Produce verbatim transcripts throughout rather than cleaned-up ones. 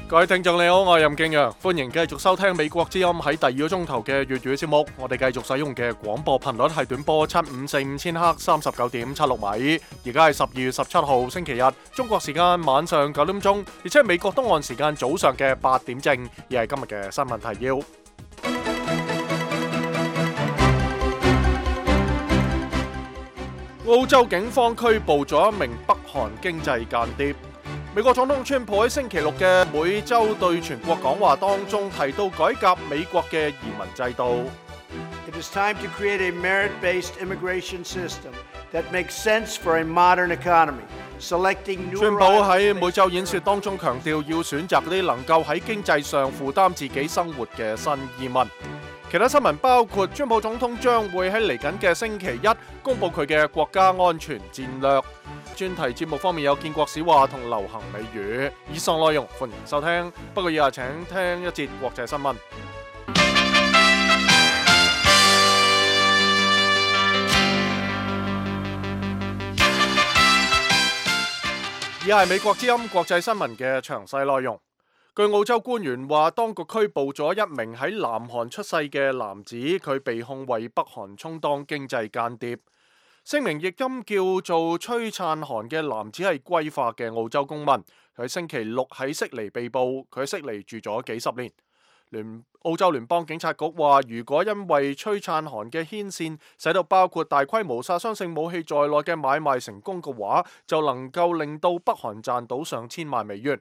各位聽眾你好，我係任敬陽，歡迎繼續收聽美國之音喺第二個鐘頭嘅粵語節目。我哋繼續使用嘅廣播頻率係短波七五四五千赫三十九點七六米。而家係十二月十七號星期日，中國時間晚上九點鐘，而且係美國東岸時間早上嘅八點正。而係今日嘅新聞提要。澳洲警方拘捕咗一名北韓經濟間諜。美國總統川普喺星期六嘅每週對全國講話當中提到改革美國嘅移民制度。It is time to create a merit-based immigration system that makes sense for a modern economy. Selecting new 川普喺每週演說當中強調要選擇嗰啲能夠喺經濟上負擔自己生活嘅新移民。其他新聞包括川普總統將會喺嚟緊嘅星期一公布佢嘅國家安全戰略。專題節目方面有建國史話同流行美語。以上內容歡迎收聽，不過以下請聽一節國際新聞。以下係美國之音國際新聞嘅詳細內容。據澳洲官員話，當局拘捕咗一名喺南韓出世嘅男子，佢被控為北韓充當經濟間諜。聲明譯音叫做崔燦韓嘅男子係歸化嘅澳洲公民，佢星期六喺悉尼被捕，佢喺悉尼住咗幾十年。聯澳洲聯邦警察局話，如果因為崔燦韓嘅牽線使到包括大規模殺傷性武器在內嘅買賣成功嘅話，就能夠令到北韓賺到上千萬美元。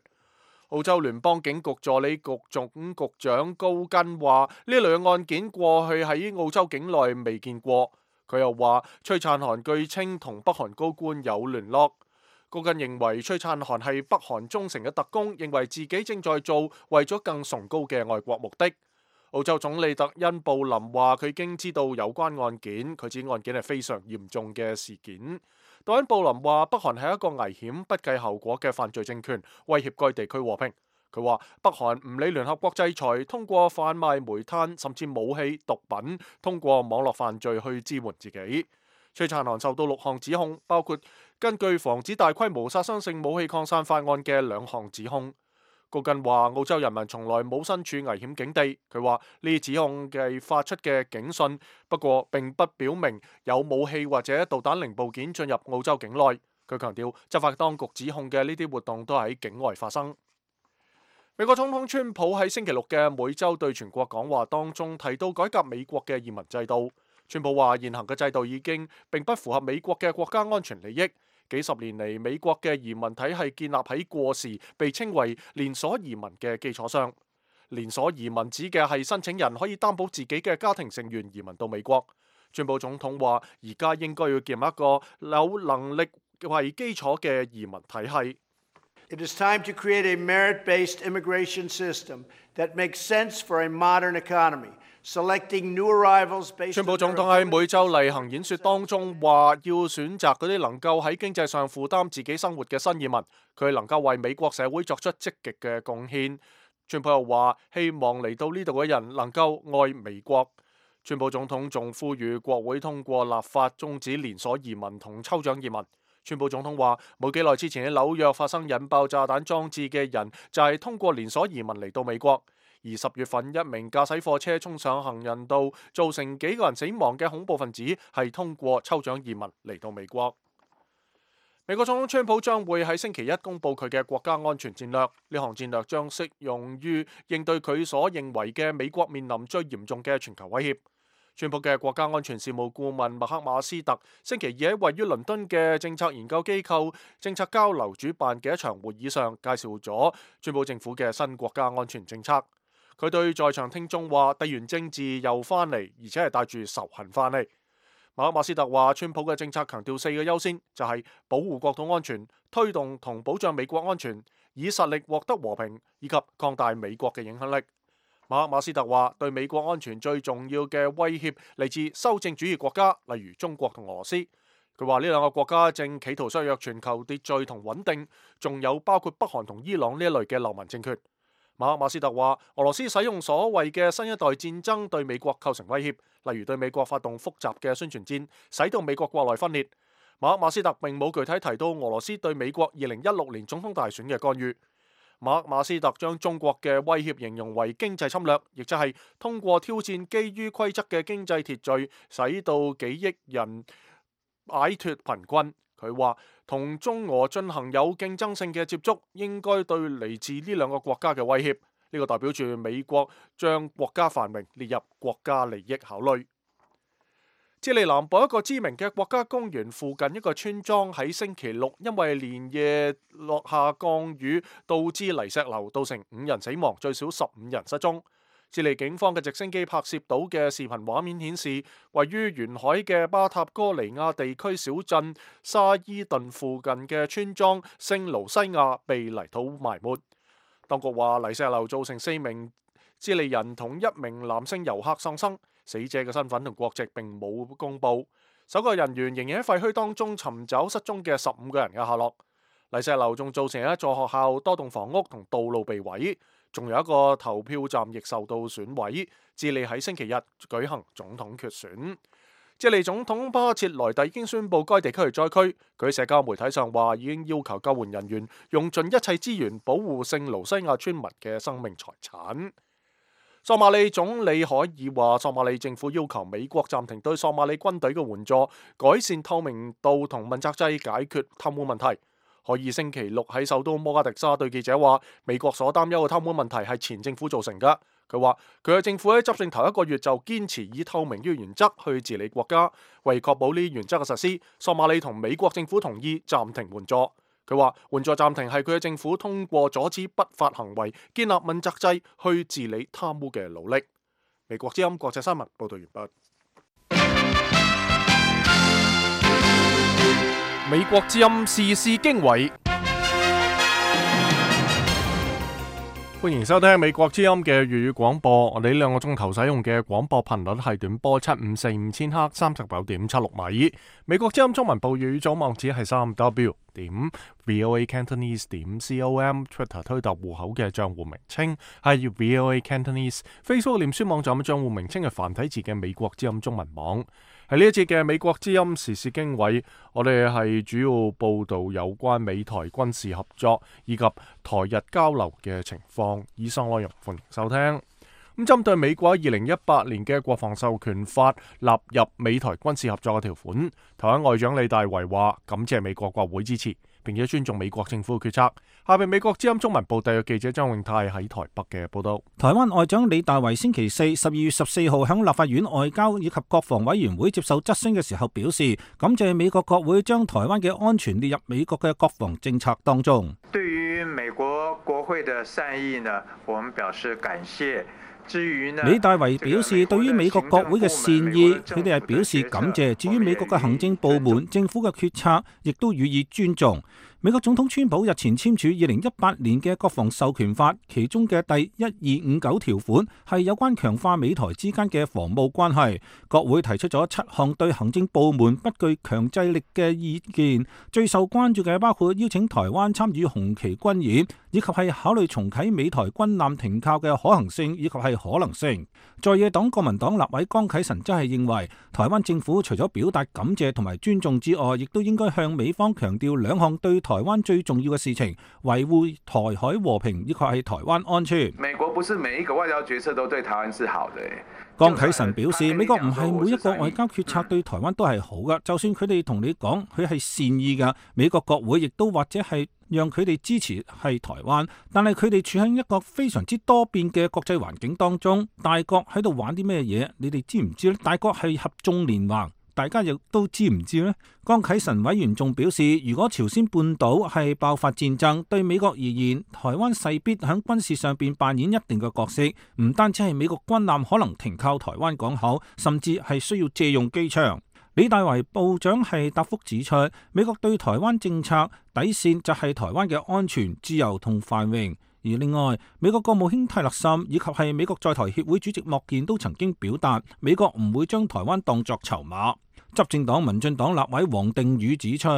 澳洲聯邦警局助理局總局長高根話，呢類案件過去喺澳洲境內未見過。佢又話，崔燦韓據稱同北韓高官有聯絡。高根認為崔燦韓係北韓忠誠嘅特工，認為自己正在做為咗更崇高嘅外國目的。澳洲總理特恩布林話，佢已經知道有關案件，佢指案件係非常嚴重嘅事件。特恩布林話，北韓係一個危險、不計後果嘅犯罪政權，威脅該地區和平。佢話北韓唔理聯合國制裁，通過販賣煤炭甚至武器、毒品，通過網絡犯罪去支援自己。崔燦韓受到六項指控，包括根據防止大規模殺傷性武器擴散法案嘅兩項指控。高根話，澳洲人民從來冇身處危險境地。佢話呢啲指控係發出嘅警訊，不過並不表明有武器或者導彈零部件進入澳洲境內。佢強調，執法當局指控嘅呢啲活動都喺境外發生。美國總統川普喺星期六嘅每週對全國講話當中提到改革美國嘅移民制度。川普話，現行嘅制度已經並不符合美國嘅國家安全利益。幾十年嚟，美國嘅移民體系建立喺過時被稱為連鎖移民嘅基礎上。連鎖移民指嘅係申請人可以擔保自己嘅家庭成員移民到美國。川普總統話，而家應該要建立一個有能力為基礎嘅移民體系。It is time to create a merit-based immigration system that makes sense for a modern economy. Selecting new arrivals based on 川普總統喺每週例行演說當中話，要選擇嗰啲能夠喺經濟上負擔自己生活嘅新移民，佢能夠為美國社會作出積極嘅貢獻。川普又話，希望嚟到呢度嘅人能夠愛美國。川普總統仲呼籲國會通過立法終止連鎖移民同抽獎移民。川普總統話，冇幾耐之前喺紐約發生引爆炸彈裝置嘅人就係通過連鎖移民嚟到美國。而十月份一名駕駛貨車衝上行人道，造成幾個人死亡嘅恐怖分子係通過抽獎移民嚟到美國。美國總統川普將會喺星期一公布佢嘅國家安全戰略，呢項戰略將適用於應對佢所認為嘅美國面臨最嚴重嘅全球威脅。川普嘅國家安全事務顧問麥克馬斯特星期二喺位於倫敦嘅政策研究機構政策交流主辦嘅一場會議上，介紹咗川普政府嘅新國家安全政策。佢對在場聽眾話，地緣政治又翻嚟，而且係帶住仇恨翻嚟。麥克馬斯特話，川普嘅政策強調四個優先，就係、是、保護國土安全、推動同保障美國安全、以實力獲得和平，以及擴大美國嘅影響力。馬克馬斯特話，對美國安全最重要嘅威脅嚟自修正主義國家，例如中國同俄羅斯。佢話呢兩個國家正企圖削弱全球秩序同穩定，仲有包括北韓同伊朗呢一類嘅流氓政權。馬克馬斯特話，俄羅斯使用所謂嘅新一代戰爭對美國構成威脅，例如對美國發動複雜嘅宣傳戰，使到美國國內分裂。馬克馬斯特並冇具體提到俄羅斯對美國二零一六年總統大選嘅干預。馬克馬斯特將中國嘅威脅形容為經濟侵略，亦即係通過挑戰基於規則嘅經濟秩序，使到幾億人擺脫貧困。佢話同中俄進行有競爭性嘅接觸，應該對嚟自呢兩個國家嘅威脅。呢個代表住美國將國家繁榮列入國家利益考慮。智利南部一個知名嘅國家公園附近一個村莊喺星期六因為連夜落下降雨，導致泥石流，造成五人死亡，最少十五人失蹤。智利警方嘅直升機拍攝到嘅視頻畫面顯示，位於沿海嘅巴塔哥尼亞地區小鎮沙伊頓附近嘅村莊聖盧西亞被泥土埋沒。當局話泥石流造成四名智利人同一名男性遊客喪生，死者嘅身份同國籍並冇公布。搜救人員仍然喺廢墟當中尋找失蹤嘅十五個人嘅下落。泥石流仲造成一座學校、多棟房屋同道路被毀，仲有一個投票站亦受到損毀。智利喺星期日舉行總統決選。智利總統巴切萊特已經宣布該地區係災區，佢喺社交媒體上話已經要求救援人員用盡一切資源保護聖盧西亞村民嘅生命財產。索馬里總理海爾話，索馬里政府要求美國暫停對索馬里軍隊嘅援助，改善透明度同問責制，解決貪污問題。海爾星期六喺首都摩加迪沙對記者話，美國所擔憂嘅貪污問題係前政府造成㗎。佢話佢嘅政府喺執政頭一個月就堅持以透明嘅原則去治理國家，為確保呢啲原則嘅實施，索馬里同美國政府同意暫停援助。佢話援助暫停係佢嘅政府通過阻止不法行為、建立問責制去治理貪污嘅努力。美國之音國際新聞報道完畢。美國之音時事經緯，歡迎收聽美國之音嘅粵語廣播。我哋呢兩個鐘頭使用嘅廣播頻率係短波七五四五千赫三十九點七六米。美國之音中文部粵語組網址係三 W 點 VOA Cantonese 點 com，Twitter 推特戶口嘅賬戶名稱係 VOA Cantonese，Facebook 臉書網站嘅賬戶名稱係繁體字嘅美國之音中文網。喺呢一節嘅美國之音時事經緯，我哋係主要報道有關美台軍事合作以及台日交流嘅情況。以上內容歡迎收聽。咁針對美國二零一八年嘅國防授權法納入美台軍事合作嘅條款，台灣外長李大維話感謝美國國會支持，並且尊重美國政府嘅決策。下邊美國之音中文部特約記者張永泰喺台北嘅報道。台灣外長李大維星期四十二月十四號響立法院外交以及國防委員會接受質詢嘅時候表示，感謝美國國會將台灣嘅安全列入美國嘅國防政策當中。對於美國國會嘅善意呢，我們表示感謝。李大維表示，對於美國國會嘅善意，佢哋係表示感謝。至於美國嘅行政部門、政府嘅決策，亦都予以尊重。美國總統川普日前簽署二零一八年嘅國防授權法，其中嘅第一二五九條款係有關強化美台之間嘅防務關係。國會提出咗七項對行政部門不具強制力嘅意見，最受關注嘅包括邀請台灣參與紅旗軍演，以及係考慮重啟美台軍艦停靠嘅可行性以及係可能性。在野黨國民黨立委江啟臣則係認為，台灣政府除咗表達感謝同埋尊重之外，亦都應該向美方強調兩項對台灣最重要嘅事情，維護台海和平以及係台灣安全。美國不是每一個外交決策都對台灣是好的。江啟臣表示，美國唔係每一個外交決策對台灣都係好噶，就算佢哋同你講佢係善意噶，美國國會亦都或者係讓佢哋支持係台灣，但係佢哋處喺一個非常之多變嘅國際環境當中，大國喺度玩啲咩嘢？你哋知唔知咧？大國係合縱連橫，大家亦都知唔知呢？江啟臣委員仲表示，如果朝鮮半島係爆發戰爭，對美國而言，台灣勢必喺軍事上邊扮演一定嘅角色，唔單止係美國軍艦可能停靠台灣港口，甚至係需要借用機場。李大維部長係答覆指出，美國對台灣政策底線就係台灣嘅安全、自由同繁榮。而另外，美國國務卿泰勒森以及係美國在台協會主席莫健都曾經表達，美國唔會將台灣當作籌碼。執政黨民進黨立委王定宇指出，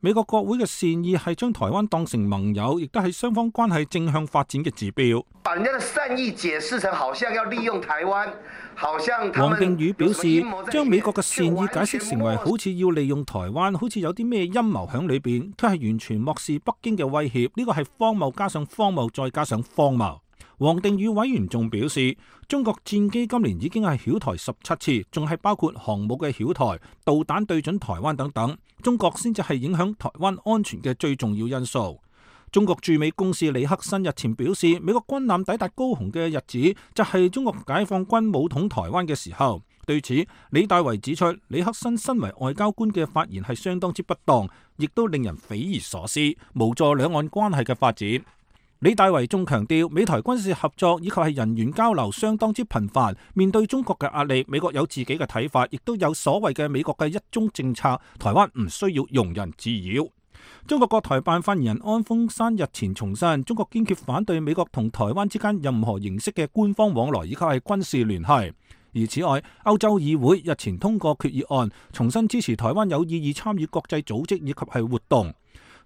美國國會嘅善意係將台灣當成盟友，亦都係雙方關係正向發展嘅指標。把人家的善意解釋成好像要利用台灣，好像王定宇表示，將美國嘅善意解釋成為好似要利用台灣，好似有啲咩陰謀喺裏邊，佢係完全漠視北京嘅威脅。呢個係荒謬加上荒謬再加上荒謬。王定宇委員仲表示，中國戰機今年已經係擾台十七次，仲係包括航母嘅擾台、導彈對準台灣等等。中國先至係影響台灣安全嘅最重要因素。中國駐美公使李克森日前表示，美國軍艦抵達高雄嘅日子就係中國解放軍武統台灣嘅時候。對此，李大為指出，李克森身為外交官嘅發言係相當之不當，亦都令人匪夷所思，無助兩岸關係嘅發展。李大為仲強調，美台軍事合作以及係人員交流相當之頻繁。面對中國嘅壓力，美國有自己嘅睇法，亦都有所謂嘅美國嘅一中政策。台灣唔需要庸人自擾。中國國台辦發言人安峰山日前重申，中國堅決反對美國同台灣之間任何形式嘅官方往來以及係軍事聯繫。而此外，歐洲議會日前通過決議案，重新支持台灣有意義參與國際組織以及係活動。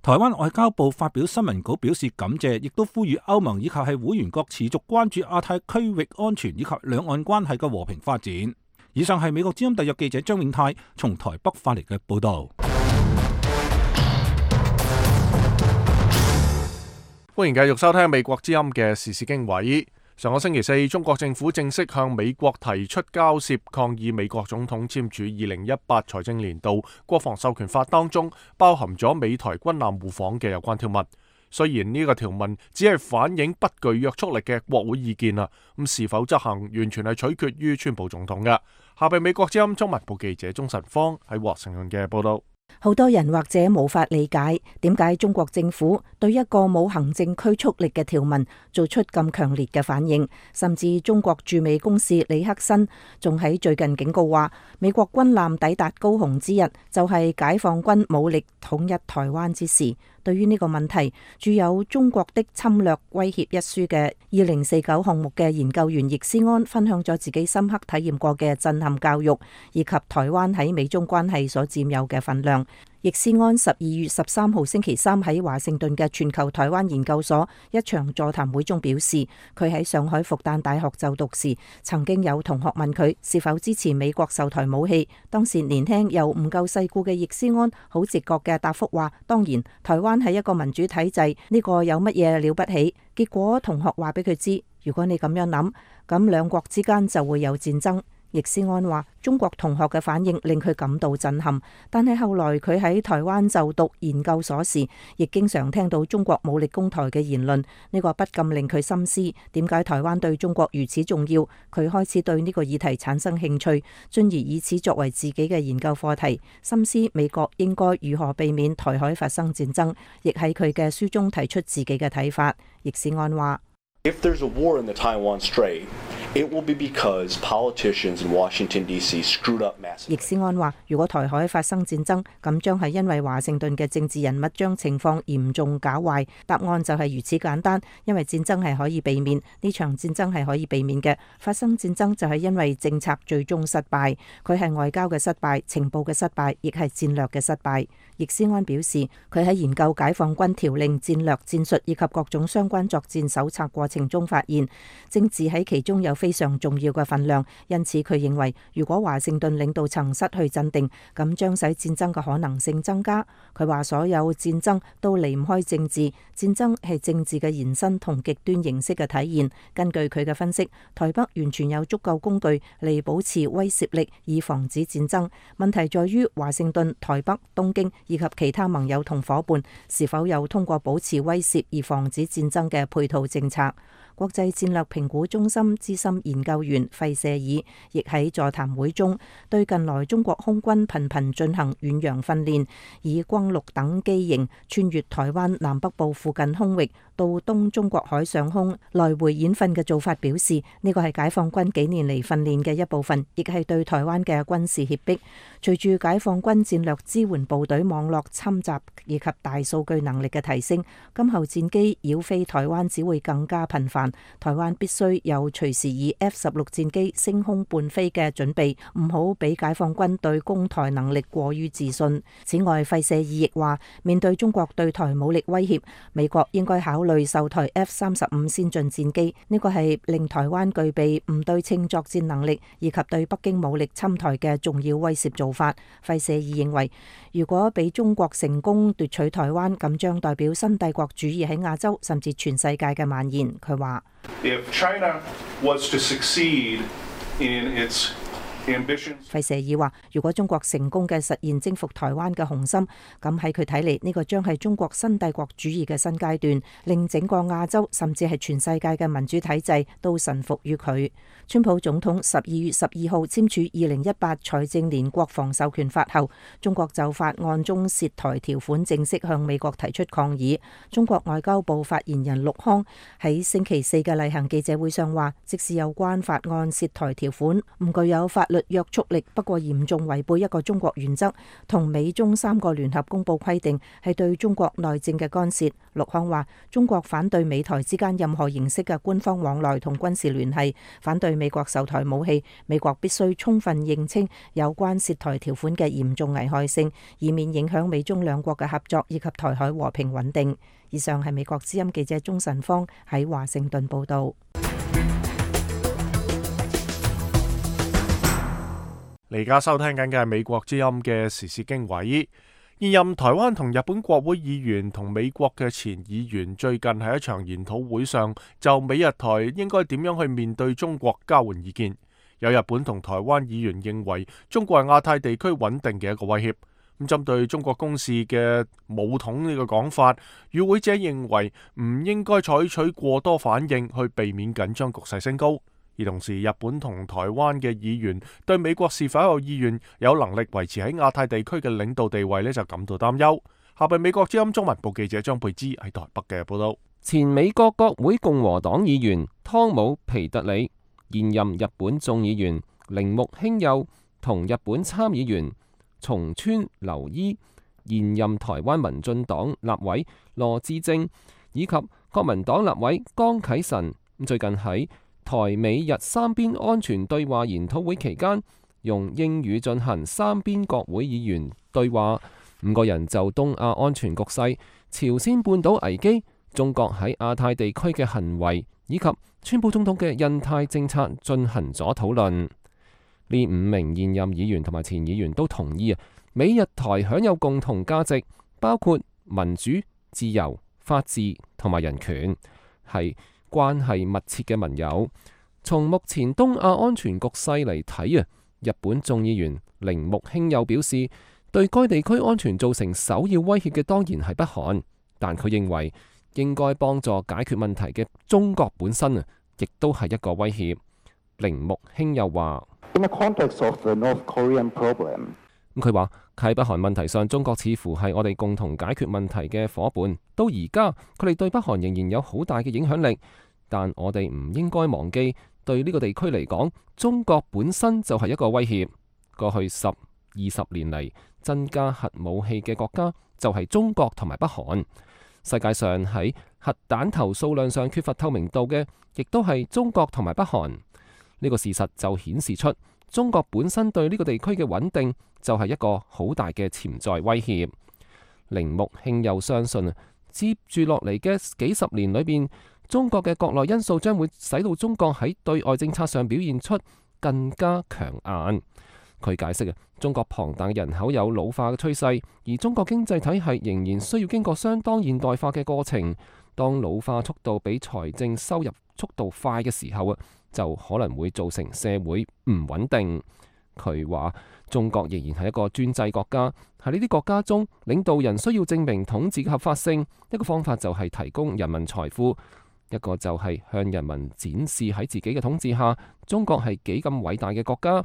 台灣外交部發表新聞稿表示感謝，亦都呼籲歐盟以及係會員國持續關注亞太區域安全以及兩岸關係嘅和平發展。以上係美國之音特約記者張永泰從台北發嚟嘅報道。歡迎繼續收聽美國之音嘅時事經緯。上個星期四，中國政府正式向美國提出交涉，抗議美國總統簽署二零一八財政年度國防授權法當中包含咗美台軍艦互訪嘅有關條文。雖然呢個條文只係反映不具約束力嘅國會意見啦，咁是否執行完全係取決於川普總統嘅。下邊美國之音中文部記者鍾晨芳喺華盛頓嘅報道。好多人或者無法理解點解中國政府對一個冇行政拘束力嘅條文做出咁強烈嘅反應，甚至中國駐美公使李克森仲喺最近警告話，美國軍艦抵達高雄之日就係解放軍武力統一台灣之時。對於呢個問題，著有《中國的侵略威脅》一書嘅二零四九項目嘅研究員易思安分享咗自己深刻體驗過嘅震撼教育，以及台灣喺美中關係所佔有嘅份量。易思安十二月十三號星期三喺華盛頓嘅全球台灣研究所一場座談會中表示，佢喺上海復旦大學就讀時，曾經有同學問佢是否支持美國售台武器。當時年輕又唔夠世故嘅易思安好直覺嘅答覆話，當然台灣係一個民主體制，呢個有乜嘢了不起？結果同學話俾佢知，如果你咁樣諗，咁兩國之間就會有戰爭。易思安話，中國同學嘅反應令佢感到震撼，但係後來佢喺台灣就讀研究所時，亦經常聽到中國武力攻台嘅言論，呢個不禁令佢深思，點解台灣對中國如此重要？佢開始對呢個議題產生興趣，進而以此作為自己嘅研究課題，深思美國應該如何避免台海發生戰爭，亦喺佢嘅書中提出自己嘅睇法。易思安話：If there's a war in the Taiwan Strait, it will be because politicians in Washington D C screwed up massively. 易思安話：如果台海發生戰爭，咁將係因為華盛頓嘅政治人物將情況嚴重搞壞。答案就係如此簡單，因為戰爭係可以避免，呢場戰爭係可以避免嘅。發生戰爭就係因為政策最終失敗，佢係外交嘅失敗、情報嘅失敗，亦係戰略嘅失敗。易思安表示，佢喺研究解放軍條令、戰略、戰術以及各種相關作戰手冊過程中發現，政治喺其中有非常重要嘅份量。因此佢認為，如果華盛頓領導層失去鎮定，咁將使戰爭嘅可能性增加。佢話所有戰爭都離唔開政治，戰爭係政治嘅延伸同極端形式嘅體現。根據佢嘅分析，台北完全有足夠工具嚟保持威懾力，以防止戰爭。問題在於華盛頓、台北、東京以及其他盟友同夥伴是否有通過保持威懾而防止戰爭嘅配套政策。國際戰略評估中心資深研究員費舍爾亦喺座談會中對近來中國空軍頻頻進行遠洋訓練，以轟六等機型穿越台灣南北部附近空域到東中國海上空來回演訓嘅做法表示，呢個係解放軍幾年嚟訓練嘅一部分，亦係對台灣嘅軍事脅迫。隨住解放軍戰略支援部隊網絡侵襲以及大數據能力嘅提升，今後戰機繞飛台灣只會更加頻繁。難，台灣必須有隨時以 F 十六戰機升空伴飛嘅準備，唔好俾解放軍對攻台能力過於自信。此外，費舍爾亦話，面對中國對台武力威脅，美國應該考慮售台 F 三十五先進戰機，呢個係令台灣具備唔對稱作戰能力以及對北京武力侵台嘅重要威懾做法。費舍爾認為，如果俾中國成功奪取台灣，咁將代表新帝國主義喺亞洲甚至全世界嘅蔓延。佢話If China was to succeed in its 費舍爾話，如果中國成功嘅實現征服台灣嘅雄心，咁喺佢睇嚟，呢個將係中國新帝國主義嘅新階段，令整個亞洲甚至係全世界嘅民主體制都臣服於佢。川普總統十二月十二號簽署二零一八財政年國防授權法後，中國就法案中涉台條款正式向美國提出抗議。中國外交部發言人陸康喺星期四嘅例行記者會上話，即使有關法案涉台條款唔具有法律約束力，不過嚴重違背一個中國原則同美中三個聯合公報規定，係對中國內政嘅干涉。陸康話，中國反對美台之間任何形式嘅官方往來同軍事聯繫，反對美國售台武器，美國必須充分認清有關涉台條款嘅嚴重危害性，以免影響美中兩國嘅合作以及台海和平穩定。以上係美國之音記者鍾晨芳喺華盛頓報道。你而家收聽緊嘅係美國之音嘅時事經緯。現任台灣同日本國會議員同美國嘅前議員最近喺一場研討會上，就美日台應該點樣去面對中國交換意見。有日本同台灣議員認為中國係亞太地區穩定嘅一個威脅。咁針對中國公使嘅武統呢個講法，與會者認為唔應該採取過多反應去避免緊張局勢升高。而同時，日本同台灣嘅議員對美國是否有意願、有能力維持喺亞太地區嘅領導地位呢，就感到擔憂。下邊美國之音中文部記者張佩芝喺台北嘅報道。前美國國會共和黨議員湯姆皮特里、現任日本眾議員鈴木興佑同日本參議員松川留伊、現任台灣民進黨立委羅致政以及國民黨立委江啟臣，最近喺台美日三邊安全對話研討會期間，用英語進行三邊國會議員對話。五個人就東亞安全局勢、朝鮮半島危機、中國喺亞太地區嘅行為以及川普總統嘅印太政策進行咗討論。呢五名現任議員同埋前議員都同意啊，美日台享有共同價值，包括民主、自由、法治同埋人權，係關係密切嘅盟友。從目前東亞安全局勢嚟睇啊，日本眾議員鈴木興佑表示，對該地區安全造成首要威脅嘅當然係北韓，但佢認為應該幫助解決問題嘅中國本身啊，亦都係一個威脅。鈴木興佑話：咁佢話喺北韓問題上，中國似乎係我哋共同解決問題嘅伙伴。到而家，佢哋對北韓仍然有好大嘅影響力，但我哋唔應該忘記，對呢個地區嚟講，中國本身就係一個威脅。過去十、二十年嚟，增加核武器嘅國家就係中國同埋北韓。世界上喺核彈頭數量上缺乏透明度嘅，亦都係中國同埋北韓。呢個事實就顯示出中國本身對呢個地區嘅穩定就係一個好大嘅潛在威脅。鈴木興佑相信，接住落嚟嘅幾十年裏邊，中國嘅國內因素將會使到中國喺對外政策上表現出更加強硬。佢解釋啊，中國龐大嘅人口有老化嘅趨勢，而中國經濟體系仍然需要經過相當現代化嘅過程。當老化速度比財政收入速度快嘅時候啊，就可能會造成社會唔穩定。佢話中國仍然係一個專制國家，喺呢啲國家中，領導人需要證明統治嘅合法性。一個方法就係提供人民財富，一個就係向人民展示喺自己嘅統治下，中國係幾咁偉大嘅國家。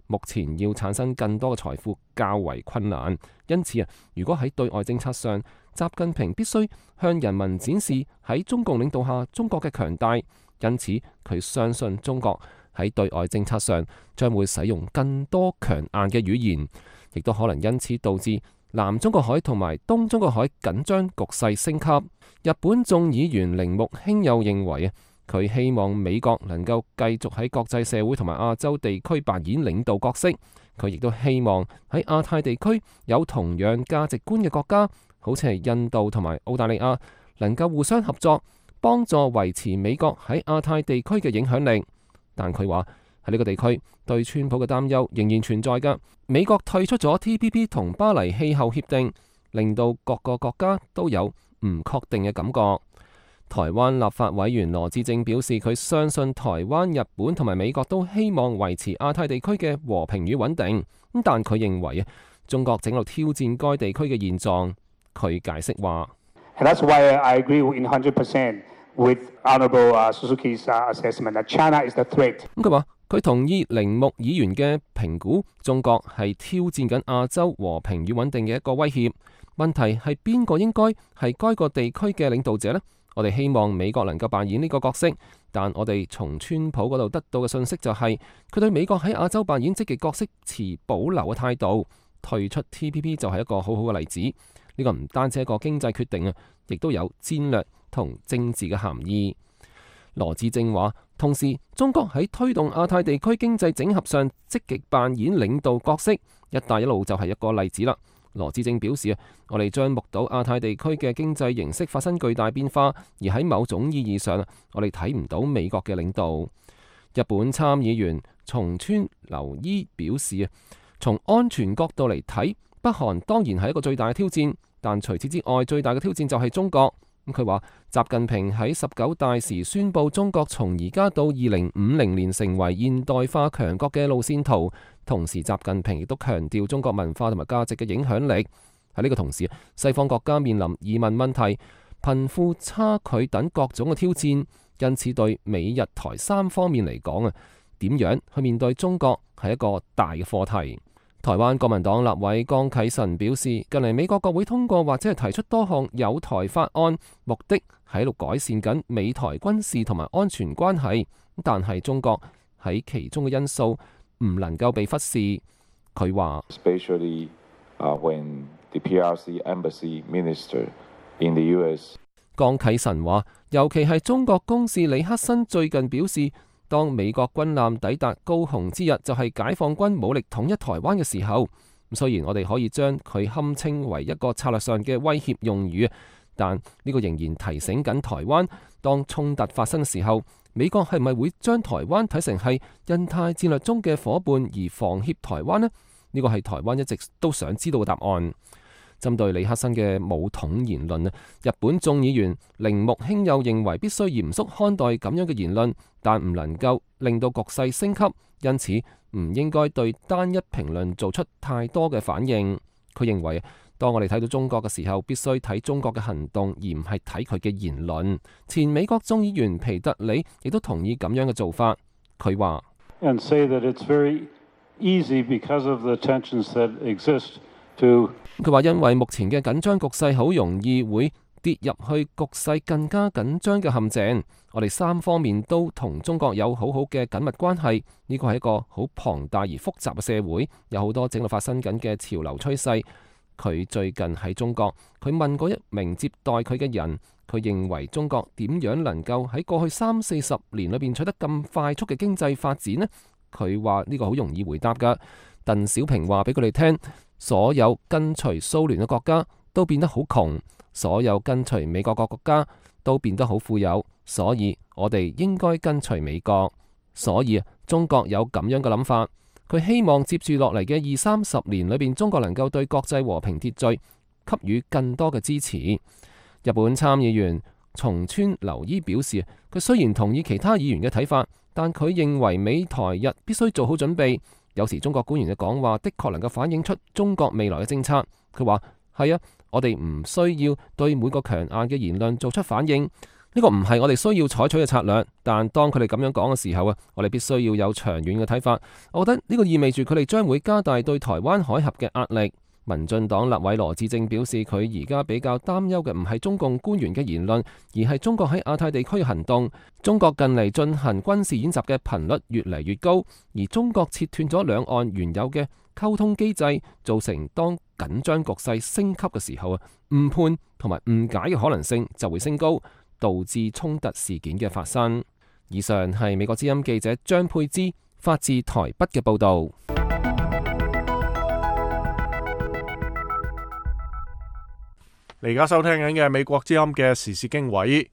目前要產生更多嘅財富較為困難，因此啊，如果喺對外政策上，習近平必須向人民展示喺中共領導下中國嘅強大。因此，佢相信中國喺對外政策上將會使用更多強硬嘅語言，亦都可能因此導致南中國海同埋東中國海緊張局勢升級。日本眾議員鈴木興佑認為啊，佢希望美國能夠繼續喺國際社會同埋亞洲地區扮演領導角色。佢亦都希望喺亞太地區有同樣價值觀嘅國家，好似係印度同埋澳大利亞，能夠互相合作，幫助維持美國喺亞太地區嘅影響力。但佢話喺呢個地區對川普嘅擔憂仍然存在㗎。美國退出咗 T P P 同巴黎氣候協定，令到各個國家都有唔確定嘅感覺。台灣立法委員羅致政表示，佢相信台灣、日本同埋美國都希望維持亞太地區嘅和平與穩定。咁但佢認為啊，中國正喺度挑戰該地區嘅現狀。佢解釋話：And that's why I agree in one hundred percent with Honorable Suzuki's assessment that China is the threat。咁佢話佢同意鈴木議員嘅評估，中國係挑戰緊亞洲和平與穩定嘅一個威脅。問題係邊個應該係該個地區嘅領導者呢？我哋希望美國能夠扮演呢個角色，但我哋從川普嗰度得到嘅信息就係，佢對美國喺亞洲扮演積極角色持保留嘅態度。退出 T P P 就係一個好好嘅例子。呢個唔單止係一個經濟決定啊，亦都有戰略同政治嘅含義。羅致政話，同時中國喺推動亞太地區經濟整合上積極扮演領導角色，一帶一路就係一個例子啦。羅致政表示啊，我哋將目睹亞太地區嘅經濟形式發生巨大變化，而喺某種意義上啊，我哋睇唔到美國嘅領導。日本參議員松川流伊表示啊，從安全角度嚟睇，北韓當然係一個最大嘅挑戰，但除此之外，最大嘅挑戰就係中國。咁佢話，習近平喺十九大時宣布中國從而家到二零五零年成為現代化強國嘅路線圖，同時習近平亦都強調中國文化同埋價值嘅影響力。喺呢個同時，西方國家面臨移民問題、貧富差距等各種嘅挑戰，因此對美日台三方面嚟講啊，點樣去面對中國係一個大嘅課題。台灣國民黨立委江啟臣表示，近嚟美國國會通過或者係提出多項友台法案，目的喺度改善緊美台軍事同埋安全關係，但係中國喺其中嘅因素唔能夠被忽視。佢話，Especially when the P R C embassy minister in the U S。江啟臣話，尤其係中國公使李克森最近表示，當美國軍艦抵達高雄之日，就係解放軍武力統一台灣嘅時候。雖然我哋可以將佢堪稱為一個策略上嘅威脅用語，但呢個仍然提醒緊台灣，當衝突發生嘅時候，美國係咪會將台灣睇成係印太戰略中嘅夥伴而防脅台灣呢？呢個係台灣一直都想知道嘅答案。針對李克森嘅武統言論，日本眾議員鈴木興佑認為必須嚴肅看待咁樣嘅言論，但唔能夠令到局勢升級，因此唔應該對單一評論做出太多嘅反應。佢認為，當我哋睇到中國嘅時候，必須睇中國嘅行動，而唔係睇佢嘅言論。前美國眾議員皮特里亦都同意咁樣嘅做法。佢話：And say that it's very easy because of the tensions that exist to。佢話因為目前嘅緊張局勢好容易會跌入去局勢更加緊張嘅陷阱。我哋三方面都同中國有好好嘅緊密關係，呢個係一個好龐大而複雜嘅社會，有好多正在發生緊嘅潮流趨勢。佢最近喺中國，佢問過一名接待佢嘅人，佢認為中國點樣能夠喺過去三四十年裏邊取得咁快速嘅經濟發展呢？佢話呢個好容易回答㗎。鄧小平話俾佢哋聽，所有跟隨蘇聯嘅國家都變得好窮，所有跟隨美國嘅國家都變得好富有，所以我哋應該跟隨美國。所以中國有咁樣嘅諗法，佢希望接住落嚟嘅二三十年裏邊，中國能夠對國際和平秩序給予更多嘅支持。日本參議員松川流伊表示，佢雖然同意其他議員嘅睇法，但佢認為美台日必須做好準備。有時中國官員嘅講話的確能夠反映出中國未來嘅政策。佢話係啊，我哋唔需要對每個強硬嘅言論做出反應，呢個唔係我哋需要採取嘅策略。但當佢哋咁樣講嘅時候啊，我哋必須要有長遠嘅睇法。我覺得呢個意味住佢哋將會加大對台灣海峽嘅壓力。民進黨立委羅致政表示，佢而家比較擔憂嘅唔係中共官員嘅言論，而係中國喺亞太地區嘅行動。中國近嚟進行軍事演習嘅頻率越嚟越高，而中國切斷咗兩岸原有嘅溝通機制，造成當緊張局勢升級嘅時候啊，誤判同埋誤解嘅可能性就會升高，導致衝突事件嘅發生。以上係美國之音記者張佩芝發自台北嘅報導。你而家收聽緊嘅美國之音嘅時事經緯。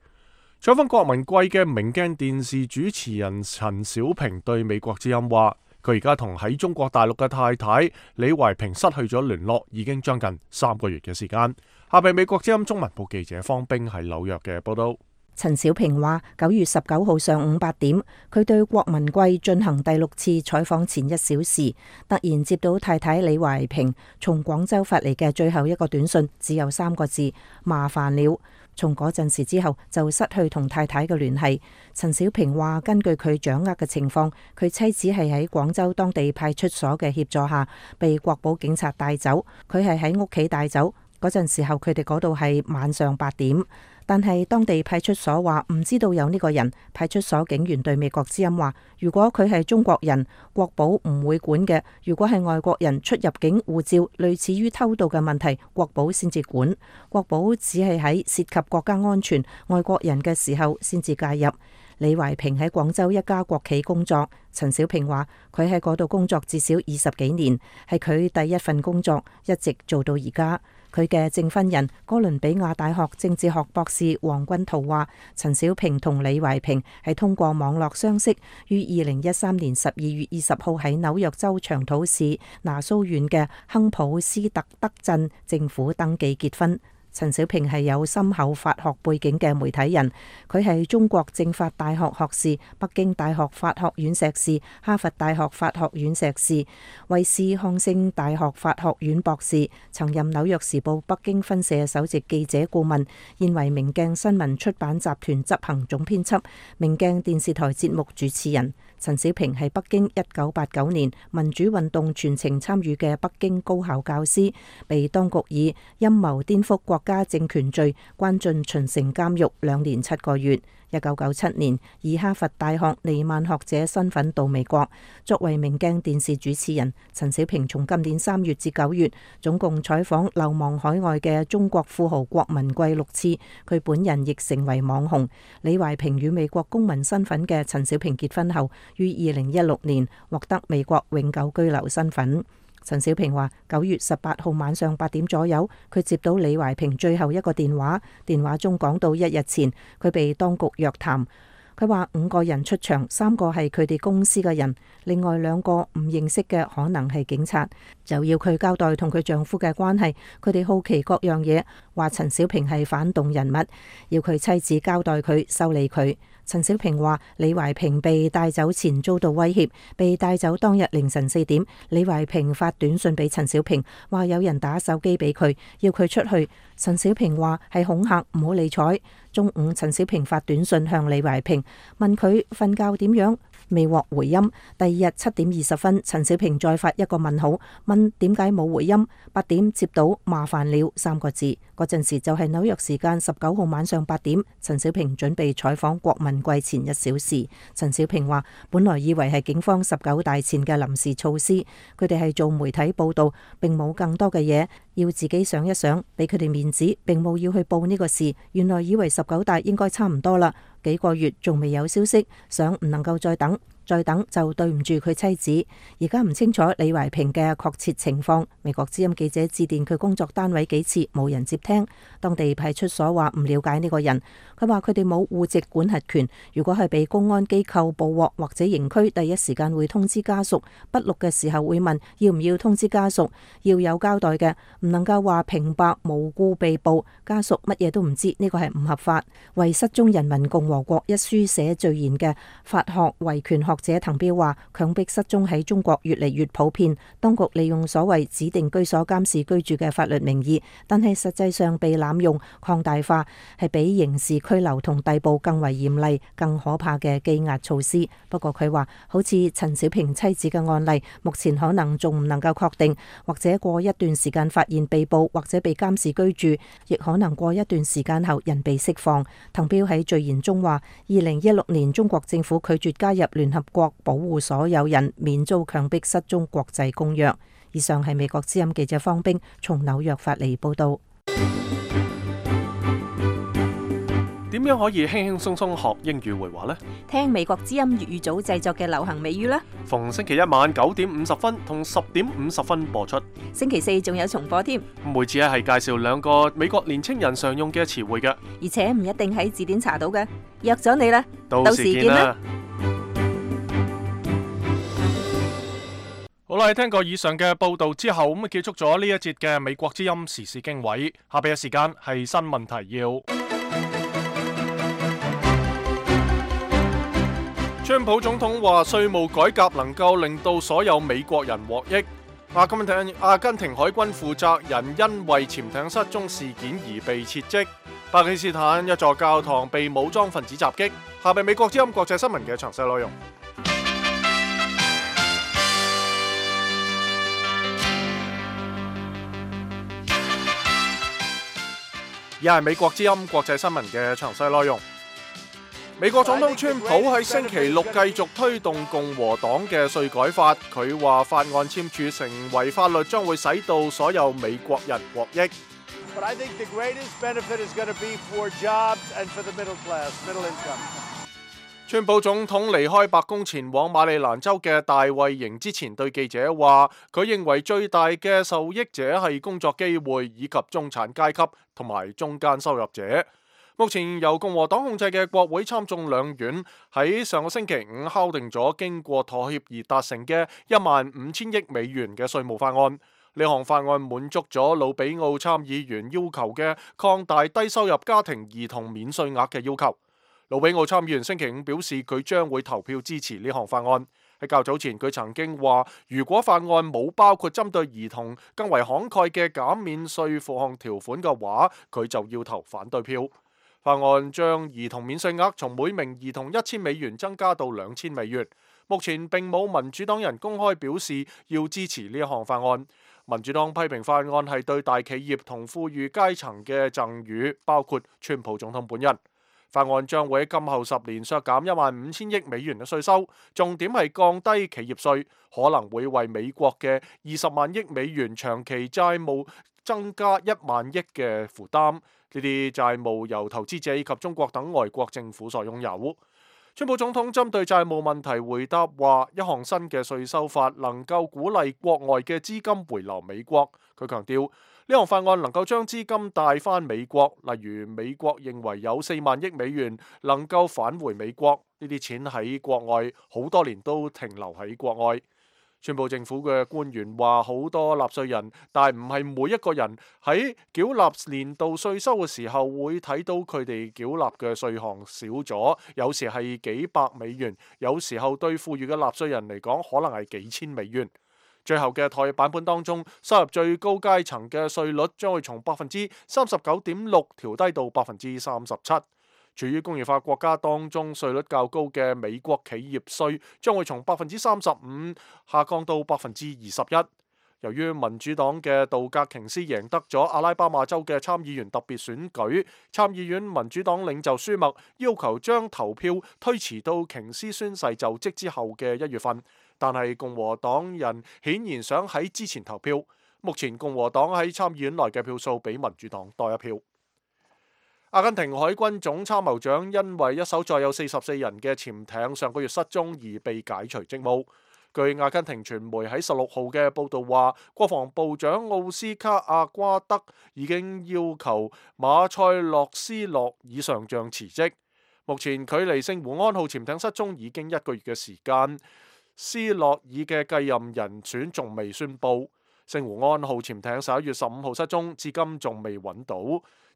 採訪郭文貴嘅明鏡電視主持人陳小平對美國之音話，佢而家同喺中國大陸嘅太太李懷萍失去咗聯絡，已經將近三個月嘅時間。下邊美國之音中文部記者方冰喺紐約嘅報道。陳小平話：九月十九號上午八點，佢對郭文貴進行第六次採訪前一小時，突然接到太太李懷萍從廣州發嚟嘅最後一個短信，只有三個字：麻煩了。從嗰陣時之後就失去同太太嘅聯繫。陳小平話：根據佢掌握嘅情況，佢妻子係喺廣州當地派出所嘅協助下被國保警察帶走，佢係喺屋企帶走嗰陣時候，佢哋嗰度係晚上八點。但係當地派出所話唔知道有呢個人。派出所警員對美國之音話：如果佢係中國人，國保唔會管嘅；如果係外國人出入境護照類似於偷渡嘅問題，國保先至管。國保只係喺涉及國家安全、外國人嘅時候先至介入。李懷萍喺廣州一家國企工作。陳小平話：佢喺嗰度工作至少二十幾年，係佢第一份工作，一直做到而家。佢嘅證婚人哥倫比亞大學政治學博士黃君濤話：陳小平同李懷萍係通過網絡相識，於二零一三年十二月二十號喺紐約州長土市拿蘇縣嘅亨普斯特德鎮政府登記結婚。陳小平係有深厚法學背景嘅媒體人，佢係中國政法大學學士、北京大學法學院碩士、哈佛大學法學院碩士、威斯康星大學法學院博士，曾任紐約時報北京分社首席記者顧問，現為明鏡新聞出版集團執行總編輯、明鏡電視台節目主持人。陳小平係北京一九八九年民主運動全程參與嘅北京高校教師，被當局以陰謀顛覆國家政權罪關進秦城監獄兩年七個月。一九九七年以哈佛大學尼曼學者身份到美國，作為明鏡電視主持人。陳小平從今年三月至九月，總共採訪流亡海外嘅中國富豪郭文貴六次，佢本人亦成為網紅。李懷萍與美國公民身份嘅陳小平結婚後，於二零一六年獲得美國永久居留身份。陳小平話：九月十八號晚上八點左右，佢接到李懷萍最後一個電話，電話中講到一日前佢被當局約談。佢話五個人出場，三個係佢哋公司嘅人，另外兩個唔認識嘅可能係警察，就要佢交代同佢丈夫嘅關係。佢哋好奇各樣嘢，話陳小平係反動人物，要佢妻子交代佢修理佢。陳小平話：李懷萍被帶走前遭到威脅，被帶走當日凌晨四點，李懷萍發短信俾陳小平，話有人打手機俾佢，要佢出去。陳小平話係恐嚇，唔好理睬。中午，陳小平發短信向李懷萍，問佢瞓覺點樣，未獲回音。第二日七點二十分，陳小平再發一個問號，問點解冇回音。八點接到麻煩了三個字，嗰陣時就係紐約時間十九號晚上八點。陳小平準備採訪郭文貴前一小時。陳小平話：本來以為係警方十九大前嘅臨時措施，佢哋係做媒體報道，並冇更多嘅嘢，要自己想一想，俾佢哋面子，並冇要去報呢個事。原來以為十九大應該差唔多啦，幾個月仲未有消息，想唔能夠再等。再等就對唔住佢妻子。而家唔清楚李懷萍嘅確切情況。美國之音記者致電佢工作單位幾次，冇人接聽。當地派出所話唔了解呢個人。佢話佢哋冇戶籍管轄權，如果係被公安機構捕獲或者刑拘，第一時間會通知家屬。筆錄嘅時候會問要唔要通知家屬，要有交代嘅，唔能夠話平白無故被捕，家屬乜嘢都唔知，呢個係唔合法。為失蹤人民共和國一書寫序言嘅法學維權學者滕彪話：強迫失蹤喺中國越嚟越普遍，當局利用所謂指定居所監視居住嘅法律名義，但係實際上被濫用擴大化，係比刑事拘留同逮捕更為嚴厲、更可怕嘅羈押措施。不過佢話，好似陳小平妻子嘅案例，目前可能仲唔能夠確定，或者過一段時間發現被捕或者被監視居住，亦可能過一段時間後人被釋放。滕彪喺序言中話：二零一六年中國政府拒絕加入聯合國保護所有人免遭強迫失蹤國際公約。以上係美國之音記者方冰從紐約發嚟報道。點樣可以輕輕鬆鬆學英語會話呢？聽美國之音粵語組製作嘅流行美語啦。逢星期一晚九點五十分同十點五十分播出。星期四仲有重播添。每次咧係介紹兩個美國年青人常用嘅詞彙嘅，而且唔一定喺字典查到嘅。約咗你啦，到時見啦。好啦，聽過以上嘅報道之後，咁啊結束咗呢一節嘅美國之音時事經緯。下邊嘅時間係新聞提要。川普總統話稅務改革能夠令到所有美國人獲益。阿根廷阿根廷海軍負責人因為潛艇失蹤事件而被撤職。巴基斯坦一座教堂被武裝分子襲擊。下邊美國之音國際新聞嘅詳細內容。而係美國之音國際新聞嘅詳細內容。美國總統川普喺星期六繼續推動共和黨嘅稅改法，佢話法案簽署成為法律將會使到所有美國人獲益。But I think the greatest benefit is going to be for jobs and for the middle class, middle income. 川普總統離開白宮前往馬里蘭州嘅大衛營之前，對記者話：佢認為最大嘅受益者係工作機會以及中產階級同埋中間收入者。目前由共和黨控制嘅國會參眾兩院喺上個星期五敲定咗經過妥協而達成嘅一萬五千億美元嘅稅務法案。呢項法案滿足咗魯比奧參議員要求嘅擴大低收入家庭兒童免稅額嘅要求。魯比奧參議員星期五表示，佢將會投票支持呢項法案。喺較早前，佢曾經話，如果法案冇包括針對兒童更為慷慨嘅減免稅負項條款嘅話，佢就要投反對票。法案將兒童免稅額從每名兒童一千美元增加到兩千美元。目前並冇民主黨人公開表示要支持呢一項法案。民主黨批評法案係對大企業同富裕階層嘅贈與，包括川普總統本人。法案將會喺今後十年削減一萬五千億美元嘅稅收，重點係降低企業稅，可能會為美國嘅二十萬億美元長期債務增加一萬億嘅負擔。呢啲債務由投資者以及中國等外國政府所擁有。川普總統針對債務問題回答話：一項新嘅稅收法能夠鼓勵國外嘅資金回流美國。佢強調，呢項法案能夠將資金帶返美國，例如美國認為有四萬億美元能夠返回美國，呢啲錢喺國外好多年都停留喺國外。川普政府嘅官員話，好多納稅人，但唔係每一個人喺繳納年度稅收嘅時候會睇到佢哋繳納嘅稅項少咗，有時係幾百美元，有時候對富裕嘅納稅人嚟講可能係幾千美元。最後嘅妥協版本當中，收入最高階層嘅稅率將會從百分之三十九點六調低到百分之三十七。處於工業化國家當中，稅率較高嘅美國企業稅將會從百分之三十五下降到百分之二十一。由於民主黨嘅杜格瓊斯贏得咗阿拉巴馬州嘅參議員特別選舉，參議院民主黨領袖舒默要求將投票推遲到瓊斯宣誓就職之後嘅一月份，但係共和黨人顯然想喺之前投票。目前共和黨喺參議院內嘅票數比民主黨多一票。阿根廷海軍總參謀長因為一艘載有四十四人嘅潛艇上個月失蹤而被解除職務。據阿根廷傳媒喺十六號嘅報導話，國防部長奧斯卡阿瓜德已經要求馬塞洛斯洛爾上將辭職。目前距離聖胡安號潛艇失蹤已經一個月嘅時間，斯洛爾嘅繼任人選仲未宣布。聖胡安號潛艇十一月十五號失蹤，至今仲未揾到。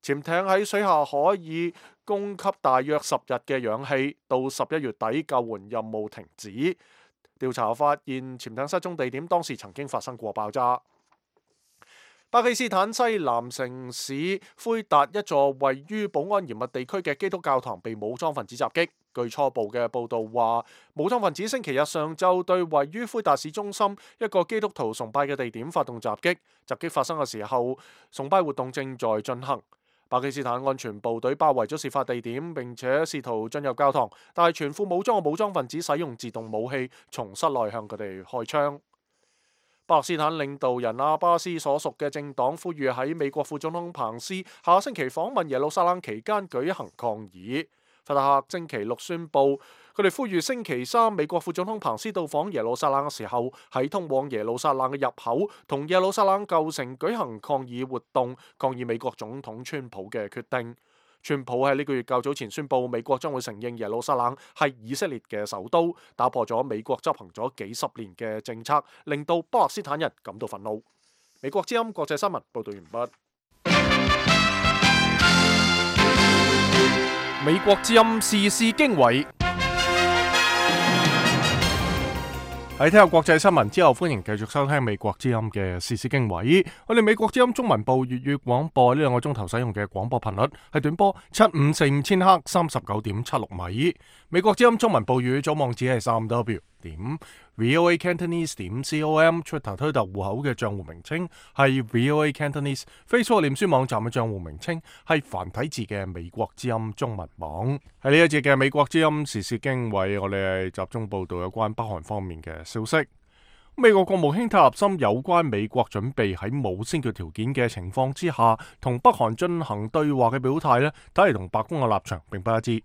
潛艇喺水下可以供給大約十日嘅氧氣，到十一月底救援任務停止。調查發現潛艇失蹤地點當時曾經發生過爆炸。巴基斯坦西南城市灰達一座位於保安嚴密地區嘅基督教堂被武裝分子襲擊。據初步嘅報導話，武裝分子星期日上晝對位於灰達市中心一個基督徒崇拜嘅地點發動襲擊。襲擊發生嘅時候，崇拜活動正在進行。巴基斯坦安全部隊包圍咗事發地點，並且試圖進入教堂，但係全副武裝嘅武裝分子使用自動武器從室內向佢哋開槍。巴勒斯坦領導人阿巴斯所屬嘅政黨呼籲喺美國副總統彭斯下星期訪問耶路撒冷期間舉行抗議。法特赫星期六宣布，佢哋呼籲星期三美國副總統彭斯到訪耶路撒冷嘅時候，喺通往耶路撒冷嘅入口同耶路撒冷舊城舉行抗議活動，抗議美國總統川普嘅決定。川普喺呢個月較早前宣布，美國將會承認耶路撒冷係以色列嘅首都，打破咗美國執行咗幾十年嘅政策，令到巴勒斯坦人感到憤怒。美國之音國際新聞報道完畢。美國之音時事經緯。喺聽下國際新聞之後，歡迎繼續收聽美國之音嘅時事經緯。我哋美國之音中文部粵語廣播呢兩個鐘頭使用嘅廣播頻率係短波七五四五千赫三十九點七六米。美國之音中文部粵語組網址係三 w 點 voa cantonese 點 com，Twitter 推特戶口嘅賬戶名稱係 voa cantonese，Facebook 臉書網站嘅賬戶名稱係繁體字嘅美國之音中文網。喺呢一節嘅美國之音時事經緯，我哋係集中報道有關北韓方面嘅消息。美國國務卿塔利森有關美國準備喺冇先決條件嘅情況之下同北韓進行對話嘅表態呢，睇嚟同白宮嘅立場並不一致。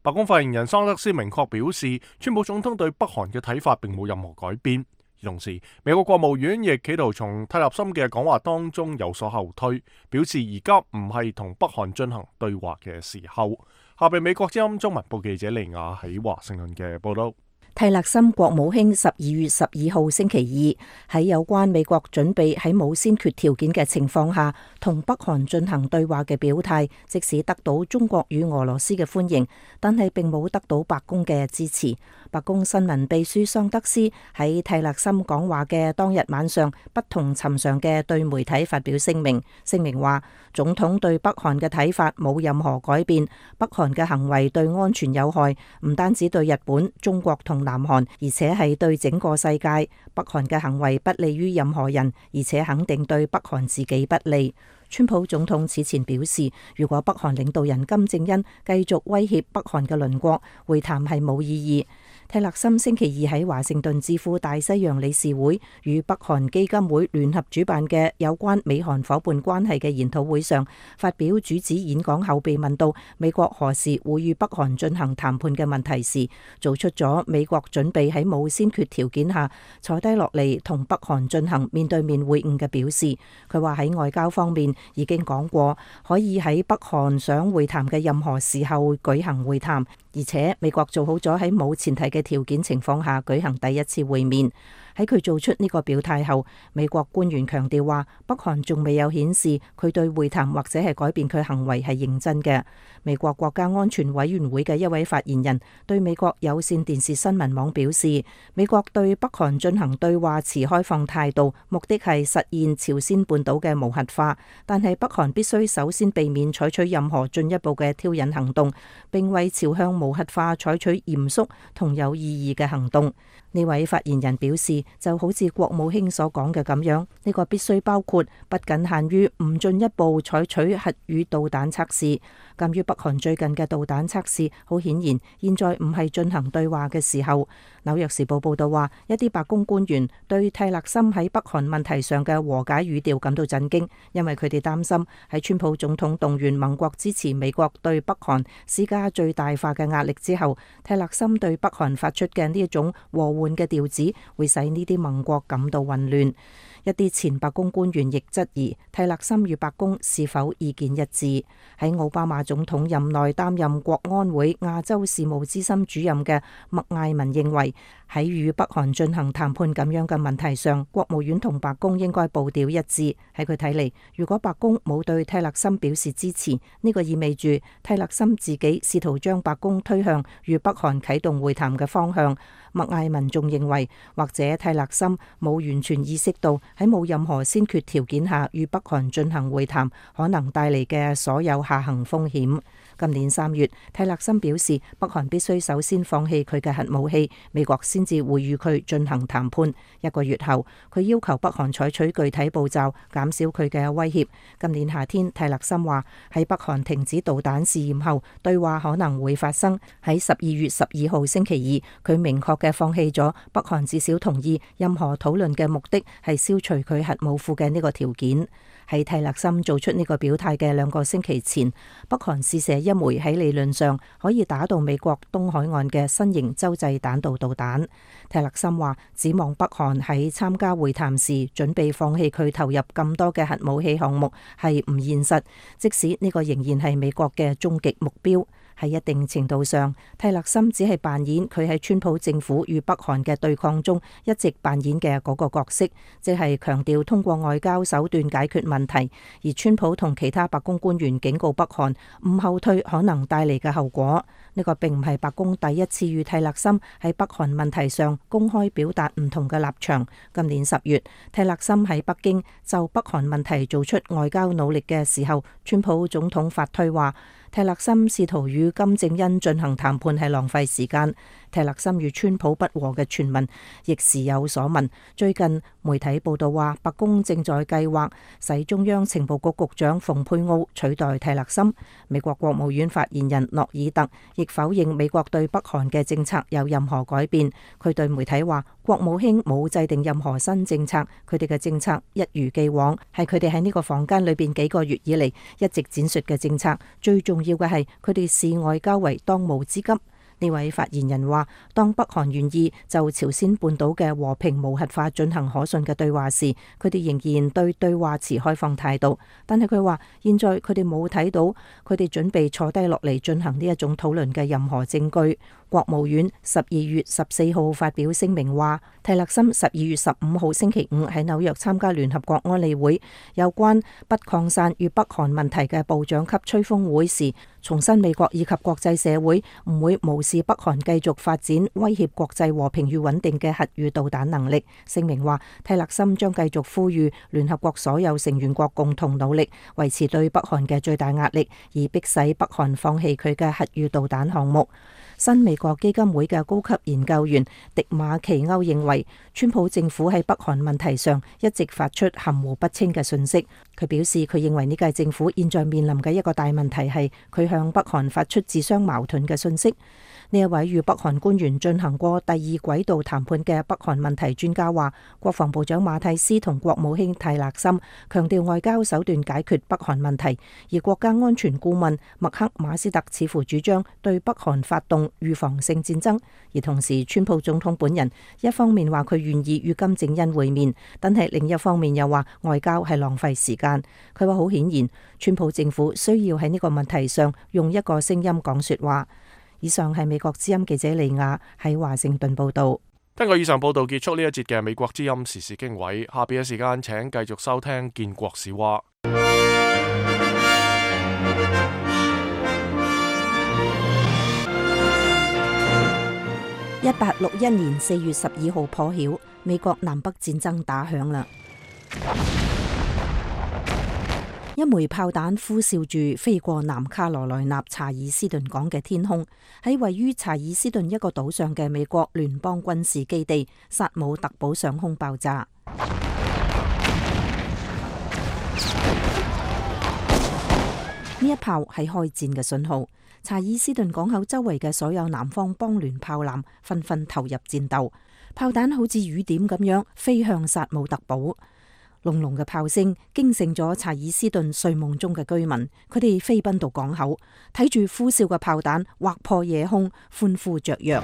白宮發言人桑德斯明確表示，川普總統對北韓嘅睇法並冇任何改變。同時，美國國務院亦企圖從塔利森嘅講話當中有所後退，表示而家唔係同北韓進行對話嘅時候。下邊美國之音中文部記者利亞喺華盛頓嘅報道。蒂勒森國務卿十二月十二號星期二喺有關美國準備喺冇先決條件嘅情況下同北韓進行對話嘅表態，即使得到中國與俄羅斯嘅歡迎，但係並冇得到白宮嘅支持。白宮新聞秘書桑德斯喺蒂勒森講話嘅當日晚上，不同尋常嘅對媒體發表聲明，聲明話總統對北韓嘅睇法冇任何改變，北韓嘅行為對安全有害，唔單止對日本、中國同南韓，而且係對整個世界。北韓嘅行為不利於任何人，而且肯定對北韓自己不利。川普總統此前表示，如果北韓領導人金正恩繼續威脅北韓嘅鄰國，會談係冇意義。蒂勒森星期二喺華盛頓智庫大西洋理事會與北韓基金會聯合主辦嘅有關美韓夥伴關係嘅研討會上發表主旨演講後，被問到美國何時會與北韓進行談判嘅問題時，做出咗美國準備喺冇先決條件下坐低落嚟同北韓進行面對面會晤嘅表示。佢話喺外交方面已經講過，可以喺北韓想會談嘅任何時候舉行會談，而且美國做好咗喺冇前提嘅條件情況下舉行第一次會面。喺佢做出呢個表態後，美國官員強調話，北韓仲未有顯示佢對會談或者係改變佢行為係認真嘅。美國國家安全委員會嘅一位發言人對美國有線電視新聞網表示，美國對北韓進行對話持開放態度，目的係實現朝鮮半島嘅無核化，但係北韓必須首先避免採取任何進一步嘅挑釁行動，並為朝向無核化採取嚴肅同有意義嘅行動。呢位發言人表示，就好似國務卿所講嘅咁樣，呢個必須包括不僅限於唔進一步採取核與導彈測試。鑑於北韓最近嘅導彈測試，好顯然現在唔係進行對話嘅時候。紐約時報報道話，一啲白宮官員對蒂勒森喺北韓問題上嘅和解語調感到震驚，因為佢哋擔心喺川普總統動員盟國支持美國對北韓施加最大化嘅壓力之後，蒂勒森對北韓發出嘅呢一種和緩嘅調子，會使呢啲盟國感到混亂。一啲前白宮官員亦質疑蒂勒森與白宮是否意見一致。喺奧巴馬總統任內擔任國安會亞洲事務資深主任嘅麥艾文認為，喺與北韓進行談判咁樣嘅問題上，國務院同白宮應該步調一致。喺佢睇嚟，如果白宮冇對蒂勒森表示支持，呢個意味住蒂勒森自己試圖將白宮推向與北韓啟動會談嘅方向。麥艾文仲認為，或者蒂勒森冇完全意識到喺冇任何先決條件下與北韓進行會談，可能帶嚟嘅所有下行風險。今年三月，泰勒森表示，北韓必須首先放棄佢嘅核武器，美國先至會與佢進行談判。一個月後，佢要求北韓採取具體步驟，減少佢嘅威脅。今年夏天，泰勒森話喺北韓停止導彈試驗後，對話可能會發生。喺十二月十二號星期二，佢明確嘅放棄咗北韓至少同意任何討論嘅目的係消除佢核武庫嘅呢個條件。喺泰勒森做出呢個表態嘅兩個星期前，北韓試射一枚喺理論上可以打到美國東海岸嘅新型洲際彈道導彈。泰勒森話，指望北韓喺參加會談時準備放棄佢投入咁多嘅核武器項目係唔現實，即使呢個仍然係美國嘅終極目標。喺一定程度上，泰勒森只係扮演佢喺川普政府與北韓嘅對抗中一直扮演嘅嗰個角色，即係強調通過外交手段解決問題。而川普同其他白宮官員警告北韓唔後退可能帶嚟嘅後果。呢個並唔係白宮第一次與泰勒森喺北韓問題上公開表達唔同嘅立場。今年十月，泰勒森喺北京就北韓問題做出外交努力嘅時候，川普總統發推話，泰勒森試圖與金正恩進行談判係浪費時間。泰勒森與川普不和嘅傳聞亦時有所聞。最近媒體報道話，白宮正在計劃使中央情報局局長蓬佩奧取代泰勒森。美國國務院發言人諾爾特亦否認美國對北韓嘅政策有任何改變。佢對媒體話，國務卿冇制定任何新政策，佢哋嘅政策一如既往，係佢哋喺呢個房間裏邊幾個月以嚟一直展述嘅政策。最重要嘅係佢哋視外交為當務之急。呢位發言人話，當北韓願意就朝鮮半島嘅和平無核化進行可信嘅對話時，佢哋仍然對對話持開放態度。但係佢話，現在佢哋冇睇到佢哋準備坐低落嚟進行呢一種討論嘅任何證據。國務院十二月十四號發表聲明話，泰勒森十二月十五號星期五喺紐約參加聯合國安理會有關不擴散與北韓問題嘅部長級吹風會時，重申美國以及國際社會唔會無視北韓繼續發展威脅國際和平與穩定嘅核與導彈能力。聲明話，泰勒森將繼續呼籲聯合國所有成員國共同努力，維持對北韓嘅最大壓力，而迫使北韓放棄佢嘅核與導彈項目。新美國基金會嘅高級研究員迪馬奇歐認為，川普政府喺北韓問題上一直發出含糊不清嘅訊息。佢表示，佢認為呢屆政府現在面臨嘅一個大問題係佢向北韓發出自相矛盾嘅訊息。呢一位與北韓官員進行過第二軌道談判嘅北韓問題專家話，國防部長馬蒂斯同國務卿泰勒森強調外交手段解決北韓問題，而國家安全顧問麥克馬斯特似乎主張對北韓發動預防性戰爭。而同時，川普總統本人一方面話佢願意與金正恩會面，但係另一方面又話外交係浪費時間。佢話好顯然，川普政府需要喺呢個問題上用一個聲音講說話。以上係美國之音記者利亞喺華盛頓報道。聽過以上報道，結束呢一節嘅美國之音時事經緯。下邊嘅時間，請繼續收聽建國史話。一八六一年四月十二號破曉，美國南北戰爭打響啦。一枚炮彈呼嘯住飛過南卡羅來納查爾斯頓港嘅天空，喺位於查爾斯頓一個島上嘅美國聯邦軍事基地薩姆特堡上空爆炸。呢一炮係開戰嘅信號，查爾斯頓港口周圍嘅所有南方邦聯炮艦紛紛投入戰鬥，炮彈好似雨點咁樣飛向薩姆特堡。隆隆嘅炮聲驚醒咗查爾斯頓睡夢中嘅居民，佢哋飛奔到港口，睇住呼嘯嘅炮彈劃破夜空，歡呼雀躍。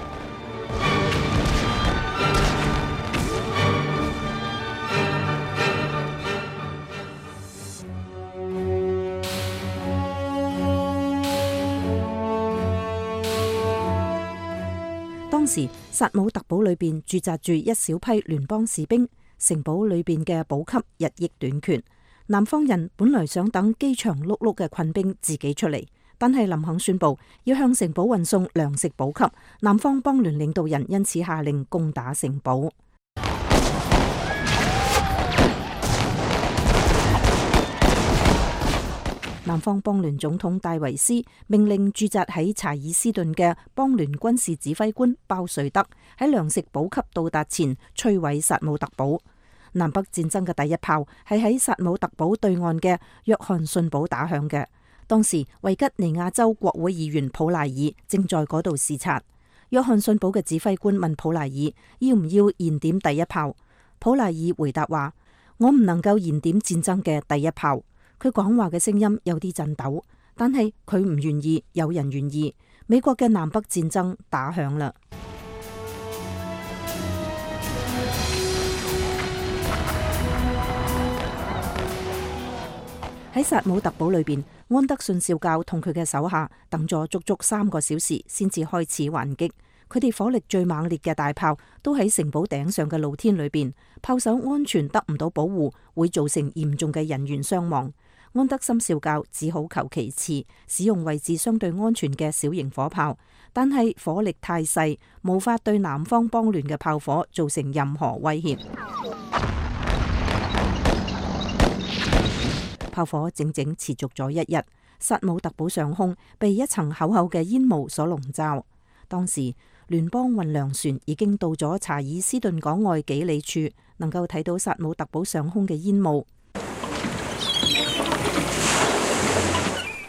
當時薩姆特堡裏邊駐紮住一小批聯邦士兵。城堡裏邊嘅補給日益短缺，南方人本來想等飢腸轆轆嘅困兵自己出嚟，但係林肯宣布要向城堡運送糧食補給，南方邦聯領導人因此下令攻打城堡。南方邦聯總統戴維斯命令駐紮喺查爾斯頓嘅邦聯軍事指揮官鮑瑞德喺糧食補給到達前摧毀薩姆特堡。南北戰爭嘅第一炮係喺薩姆特堡對岸嘅約翰遜堡打響嘅。當時維吉尼亞州國會議員普賴爾正在嗰度視察。約翰遜堡嘅指揮官問普賴爾要唔要燃點第一炮，普賴爾回答話：我唔能夠燃點戰爭嘅第一炮。佢講話嘅聲音有啲震抖，但係佢唔願意，有人願意。美國嘅南北戰爭打響啦。喺薩姆特堡裏邊，安德遜少校同佢嘅手下等咗足足三個小時，先至開始還擊。佢哋火力最猛烈嘅大炮都喺城堡頂上嘅露天裏邊，炮手安全得唔到保護，會造成嚴重嘅人員傷亡。安德森少校只好求其次，使用位置相對安全嘅小型火炮，但係火力太細，無法對南方邦聯嘅炮火造成任何威脅。炮火整整持續咗一日，薩姆特堡上空被一層厚厚嘅煙霧所籠罩。當時聯邦運糧船已經到咗查爾斯頓港外幾里處，能夠睇到薩姆特堡上空嘅煙霧。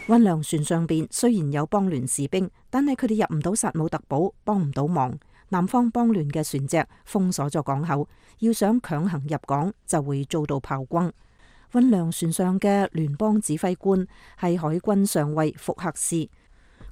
運糧船上邊雖然有邦聯士兵，但係佢哋入唔到薩姆特堡，幫唔到忙。南方邦聯嘅船隻封鎖咗港口，要想強行入港就會遭到炮轟。運糧船上嘅聯邦指揮官係海軍上尉福克斯，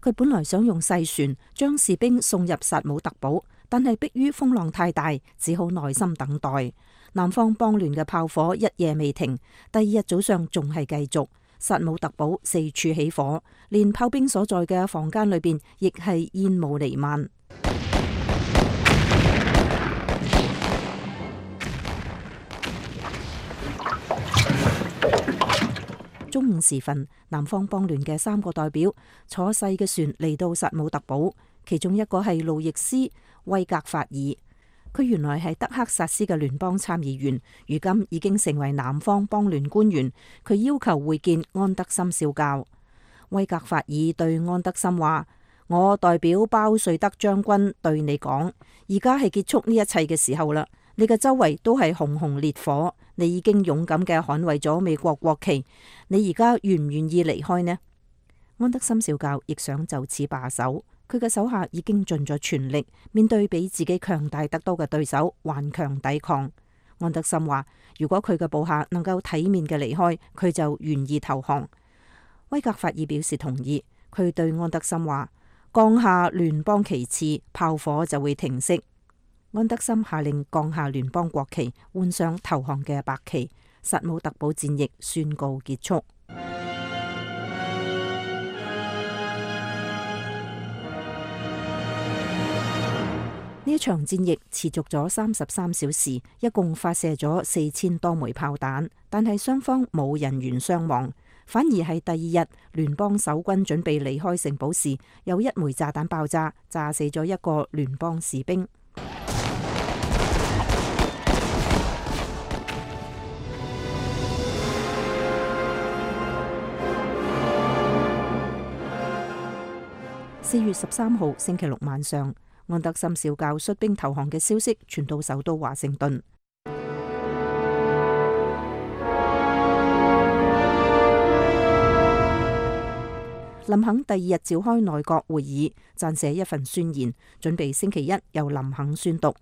佢本來想用細船將士兵送入薩姆特堡，但係迫於風浪太大，只好耐心等待。南方邦聯嘅炮火一夜未停，第二日早上仲係繼續。薩姆特堡四處起火，連炮兵所在嘅房間裏邊亦係煙霧彌漫。中午時分，南方邦聯嘅三個代表坐細嘅船嚟到薩姆特堡，其中一個係路易斯威格法爾，佢原來係德克薩斯嘅聯邦參議員，如今已經成為南方邦聯官員。佢要求會見安德森少校。威格法爾對安德森話：我代表鮑瑞德將軍對你講，而家係結束呢一切嘅時候啦。你嘅周圍都係熊熊烈火，你已經勇敢嘅捍衛咗美國國旗，你而家願唔願意離開呢？安德森少校亦想就此罷手，佢嘅手下已經盡咗全力，面對比自己強大得多嘅對手，頑強抵抗。安德森話：如果佢嘅部下能夠體面嘅離開，佢就願意投降。威格法爾表示同意，佢對安德森話：降下聯邦旗幟，炮火就會停息。安德森下令降下聯邦國旗，換上投降嘅白旗，薩姆特堡戰役宣告結束。呢一場戰役持續咗三十三小時，一共發射咗四千多枚炮彈，但係雙方冇人員傷亡，反而係第二日聯邦守軍準備離開城堡時，有一枚炸彈爆炸，炸死咗一個聯邦士兵。四月十三號星期六晚上，安德森少校率兵投降嘅消息傳到首都華盛頓。林肯第二日召開內閣會議，撰寫一份宣言，準備星期一由林肯宣讀。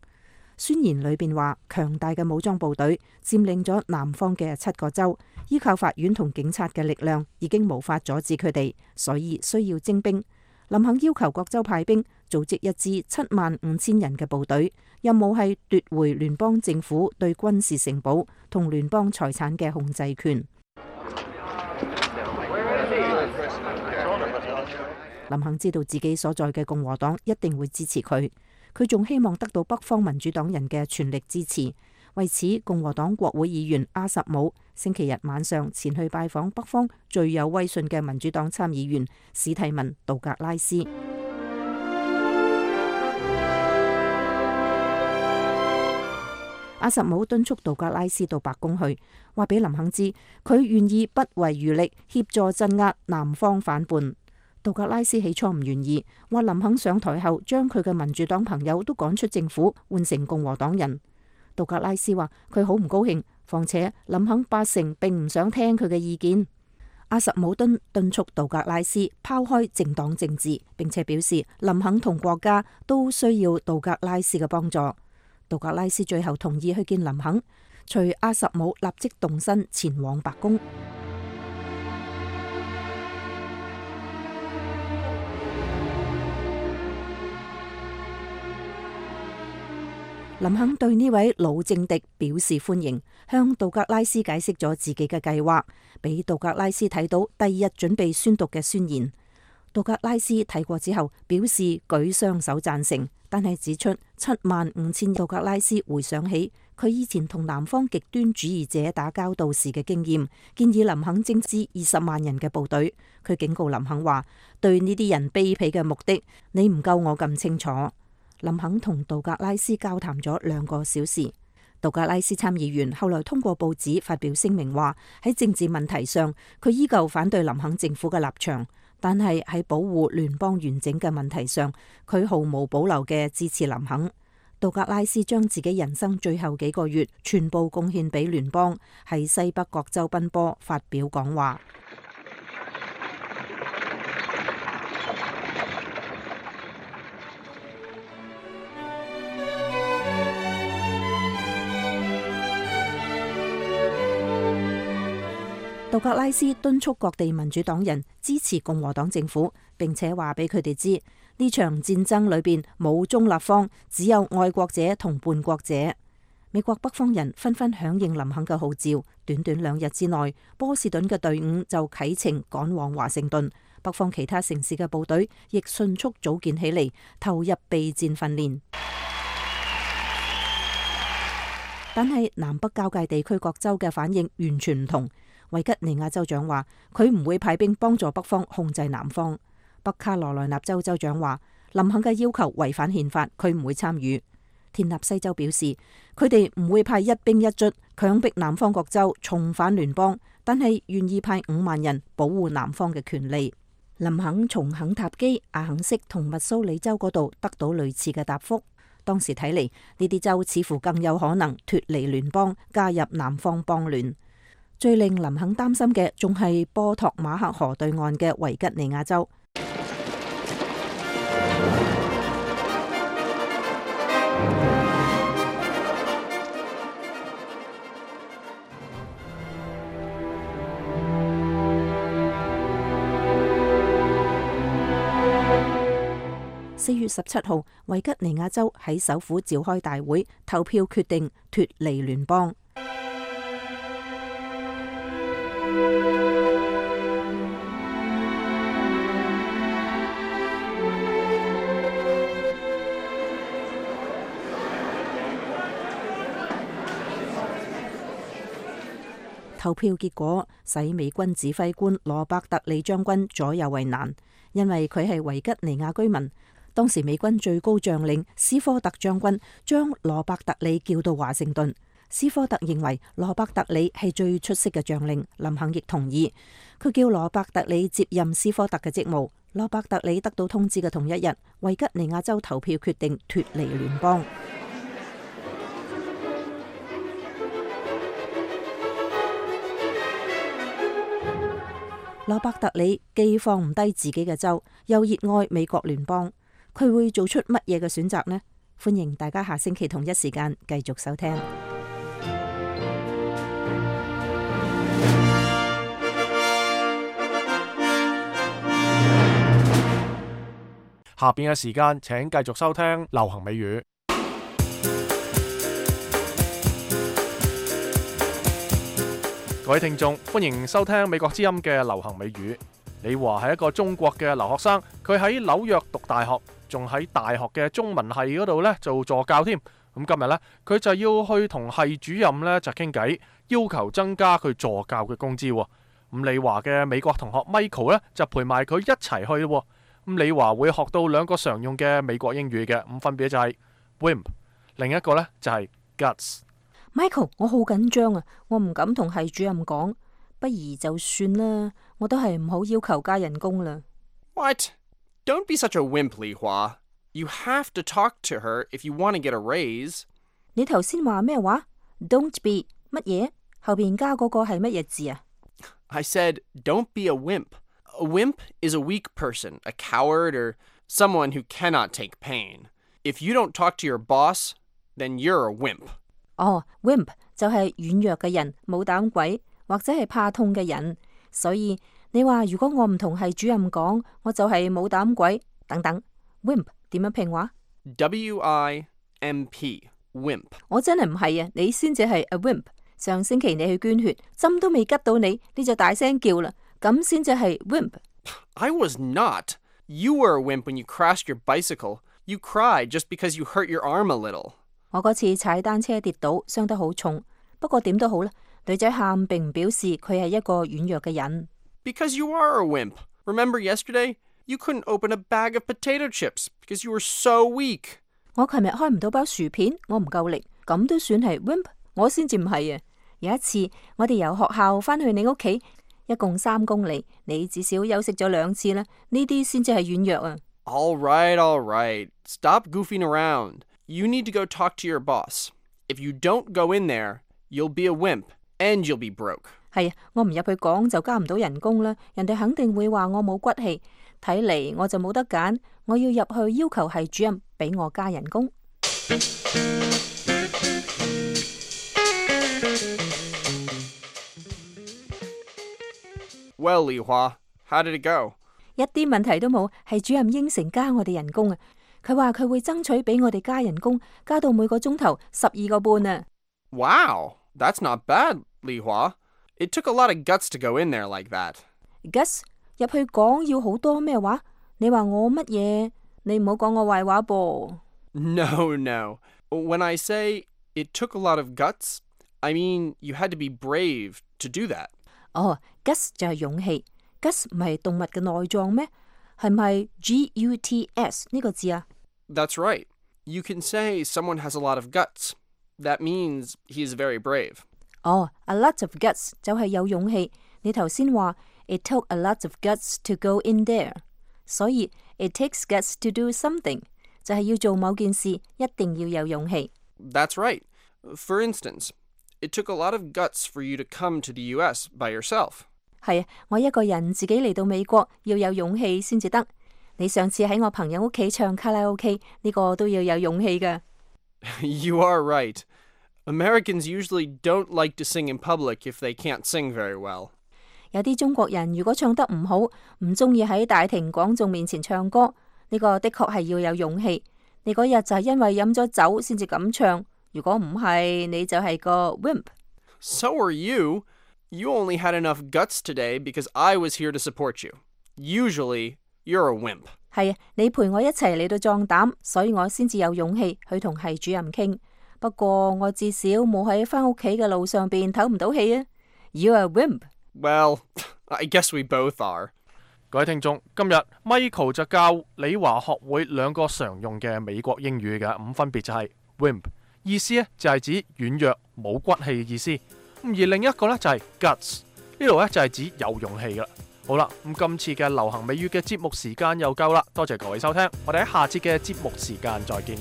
宣言裏邊話，強大嘅武裝部隊佔領咗南方嘅七個州，依靠法院同警察嘅力量已經無法阻止佢哋，所以需要徵兵。林肯要求各州派兵，組織一支七萬五千人嘅部隊，任務係奪回聯邦政府對軍事城堡同聯邦財產嘅控制權。林肯知道自己所在嘅共和黨一定會支持佢，佢仲希望得到北方民主黨人嘅全力支持。為此，共和黨國會議員阿什姆星期日晚上前去拜訪北方最有威信嘅民主黨參議員史蒂文·杜格拉斯。阿什姆敦促道格拉斯到白宮去，話俾林肯知佢願意不遺餘力協助鎮壓南方反叛。道格拉斯起初唔願意，話林肯上台後將佢嘅民主黨朋友都趕出政府，換成共和黨人。道格拉斯話佢好唔高興，況且林肯八成並唔想聽佢嘅意見。阿什姆敦敦促道格拉斯拋開政黨政治，並且表示林肯同國家都需要道格拉斯嘅幫助。道格拉斯最後同意去見林肯，隨阿什姆立即動身前往白宮。林肯對呢位老政敵表示歡迎，向道格拉斯解釋咗自己嘅計劃，俾道格拉斯睇到第二日準備宣讀嘅宣言。道格拉斯睇過之後表示舉雙手贊成，但係指出七萬五千道格拉斯回想起佢以前同南方極端主義者打交道時嘅經驗，建議林肯徵召二十萬人嘅部隊。佢警告林肯話：對呢啲人卑鄙嘅目的，你唔夠我咁清楚。林肯同道格拉斯交談咗兩個小時。道格拉斯參議員後來通過報紙發表聲明話，喺政治問題上，佢依舊反對林肯政府嘅立場，但係喺保護聯邦完整嘅問題上，佢毫無保留嘅支持林肯。道格拉斯將自己人生最後幾個月全部貢獻俾聯邦，喺西北各州奔波發表講話。道格拉斯敦促各地民主黨人支持共和黨政府，並且話俾佢哋知呢場戰爭裏邊冇中立方，只有愛國者同叛國者。美國北方人紛紛響應林肯嘅號召，短短兩日之內，波士頓嘅隊伍就啟程趕往華盛頓，北方其他城市嘅部隊亦迅速組建起嚟，投入備戰訓練。但係南北交界地區各州嘅反應完全唔同。維吉尼亞州長話佢唔會派兵幫助北方控制南方。北卡羅來納州州長話林肯嘅要求違反憲法，佢唔會參與。田納西州表示佢哋唔會派一兵一卒強迫南方各州重返聯邦，但係願意派五萬人保護南方嘅權利。林肯從肯塔基、阿肯色同密蘇里州嗰度得到類似嘅答覆。當時睇嚟呢啲州似乎更有可能脫離聯邦，加入南方邦聯。最令林肯擔心嘅仲係波托馬克河對岸嘅維吉尼亞州。四月十七號，維吉尼亞州喺首府召開大會，投票決定脫離聯邦。投票結果使美軍指揮官羅伯特里將軍左右為難，因為佢係維吉尼亞居民。當時美軍最高將領斯科特將軍將羅伯特里叫到華盛頓。斯科特認為羅伯特里係最出色嘅將領，林肯亦同意。佢叫羅伯特里接任斯科特嘅職務。羅伯特里得到通知嘅同一日，維吉尼亞州投票決定脫離聯邦。羅伯特里既放唔低自己嘅州，又熱愛美國聯邦，佢會做出乜嘢嘅選擇呢？歡迎大家下星期同一時間繼續收聽。下邊嘅時間，請繼續收聽流行美語。各位聽眾，歡迎收聽美國之音嘅流行美語。李華係一個中國嘅留學生，佢喺紐約讀大學，仲喺大學嘅中文系嗰度呢做助教添。咁今日呢，佢就要去同系主任呢就傾偈，要求增加佢助教嘅工資。咁李華嘅美國同學 Michael 呢就陪埋佢一齊去。咁李華會學到兩個常用嘅美國英語嘅，咁分別就係 wimp， 另一個呢就係 guts。Michael， 我好緊張啊，我唔敢同系主任講，不如就算啦，我都係唔好要求加人工啦。What? Don't be such a wimp, Li Hua. You have to talk to her if you want to get a raise. 你頭先話咩話 ？Don't be 乜嘢？後邊加嗰個係乜嘢字啊？ I said, don't be a wimp. A wimp is a weak person, a coward, or someone who cannot take pain. If you don't talk to your boss, then you're a wimp. 哦 ，wimp 就係軟弱嘅人，冇膽鬼，或者係怕痛嘅人。所以你話如果我唔同系主任講，我就係冇膽鬼等等。wimp 點樣拼話 ？W I M P, wimp. 我真係唔係啊，你先至係 a wimp。上星期你去捐血，針都未吉到你，你就大聲叫啦，咁先至係 wimp。I was not. You were a wimp when you crashed your bicycle. You cried just because you hurt your arm a little. 我嗰次踩單車跌倒，傷得好重。不過點都好啦，女仔喊並唔表示佢係一個軟弱嘅人。Because you are a wimp. Remember yesterday? You couldn't open a bag of potato chips because you were so weak. 我琴日開唔到包薯片，我唔夠力，咁都算係 wimp？ 我先至唔係啊！有一次我哋由學校返去你屋企，一共三公里，你至少休息咗兩次啦，呢啲先至係軟弱啊。All right, all right. Stop goofing around. You need to go talk to your boss. If you don't go in there, you'll be a wimp and you'll be broke. 係啊，我唔入去講就加唔到人工啦，人哋肯定會話我冇骨氣。睇嚟我就冇得揀，我要入去要求系主任俾我加人工。Well, Li Hua, how did it go? 一啲問題都冇，系主任應承加我哋人工啊！佢話佢會爭取俾我哋加人工，加到每個鐘頭十二個半啊 ！Wow, that's not bad, Li Hua. It took a lot of guts to go in there like that. Guts 入去講要好多咩話？你話我乜嘢？你唔好講我壞話噃。No, no. When I say it took a lot of guts, I mean you had to be brave to do that. 哦 ，guts 就係勇氣。guts 唔係動物嘅內臟咩？係咪 G U T S 呢個字啊？ That's right. You can say someone has a lot of guts. That means he is very brave. 哦 ，a lot of guts 就係有勇氣。你頭先話 it took a lot of guts to go in there， 所以 it takes guts to do something 就係要做某件事，一定要有勇氣。That's right. For instance, it took a lot of guts for you to come to the U S by yourself. 係啊，我一個人自己嚟到美國，要有勇氣先至得。你上次喺我朋友屋企唱卡拉 OK， 呢個都要有勇氣㗎。You are right. Americans usually don't like to sing in public if they can't sing very well. 有啲中國人如果唱得唔好，唔中意喺大庭廣眾面前唱歌，呢個的確係要有勇氣。你嗰日就係因為飲咗酒先至咁唱，如果唔係，你就係個 wimp。So are you. You only had enough guts today because I was here to support you. Usually, you're a wimp. 係啊，你陪我一齊嚟到壯膽，所以我先至有勇氣去同系主任傾。不過我至少冇喺返屋企嘅路上邊唞唔到氣啊。You're a wimp. Well, I guess we both are. 各位聽眾，今日 Michael 就教理華學會兩個常用嘅美國英語嘅，咁分別就係 wimp， 意思咧就係指軟弱冇骨氣嘅意思。而另一個咧就係 guts， 呢度咧就係指有勇氣噶啦。好啦，咁今次嘅流行美語嘅節目時間又夠啦，多謝各位收聽，我哋喺下次嘅節目時間再見。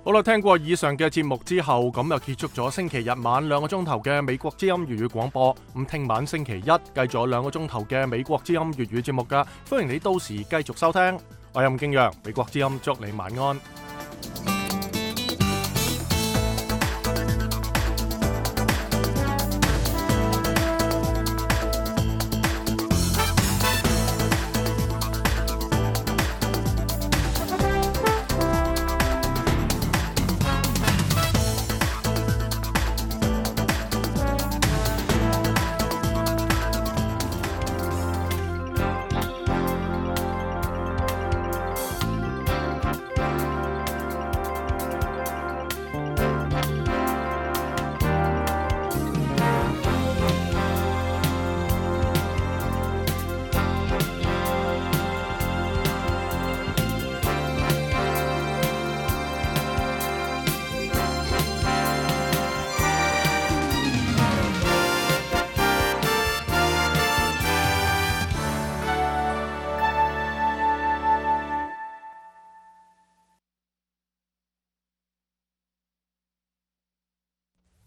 好啦，聽過以上嘅節目之後，咁就結束咗星期日晚兩個鐘頭嘅美國之音粵語廣播。咁聽晚星期一繼續有兩個鐘頭嘅美國之音粵語節目噶，歡迎你到時繼續收聽。我係任敬陽，美國之音祝你晚安。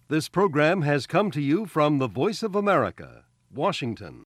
This program has come to you from the Voice of America, Washington.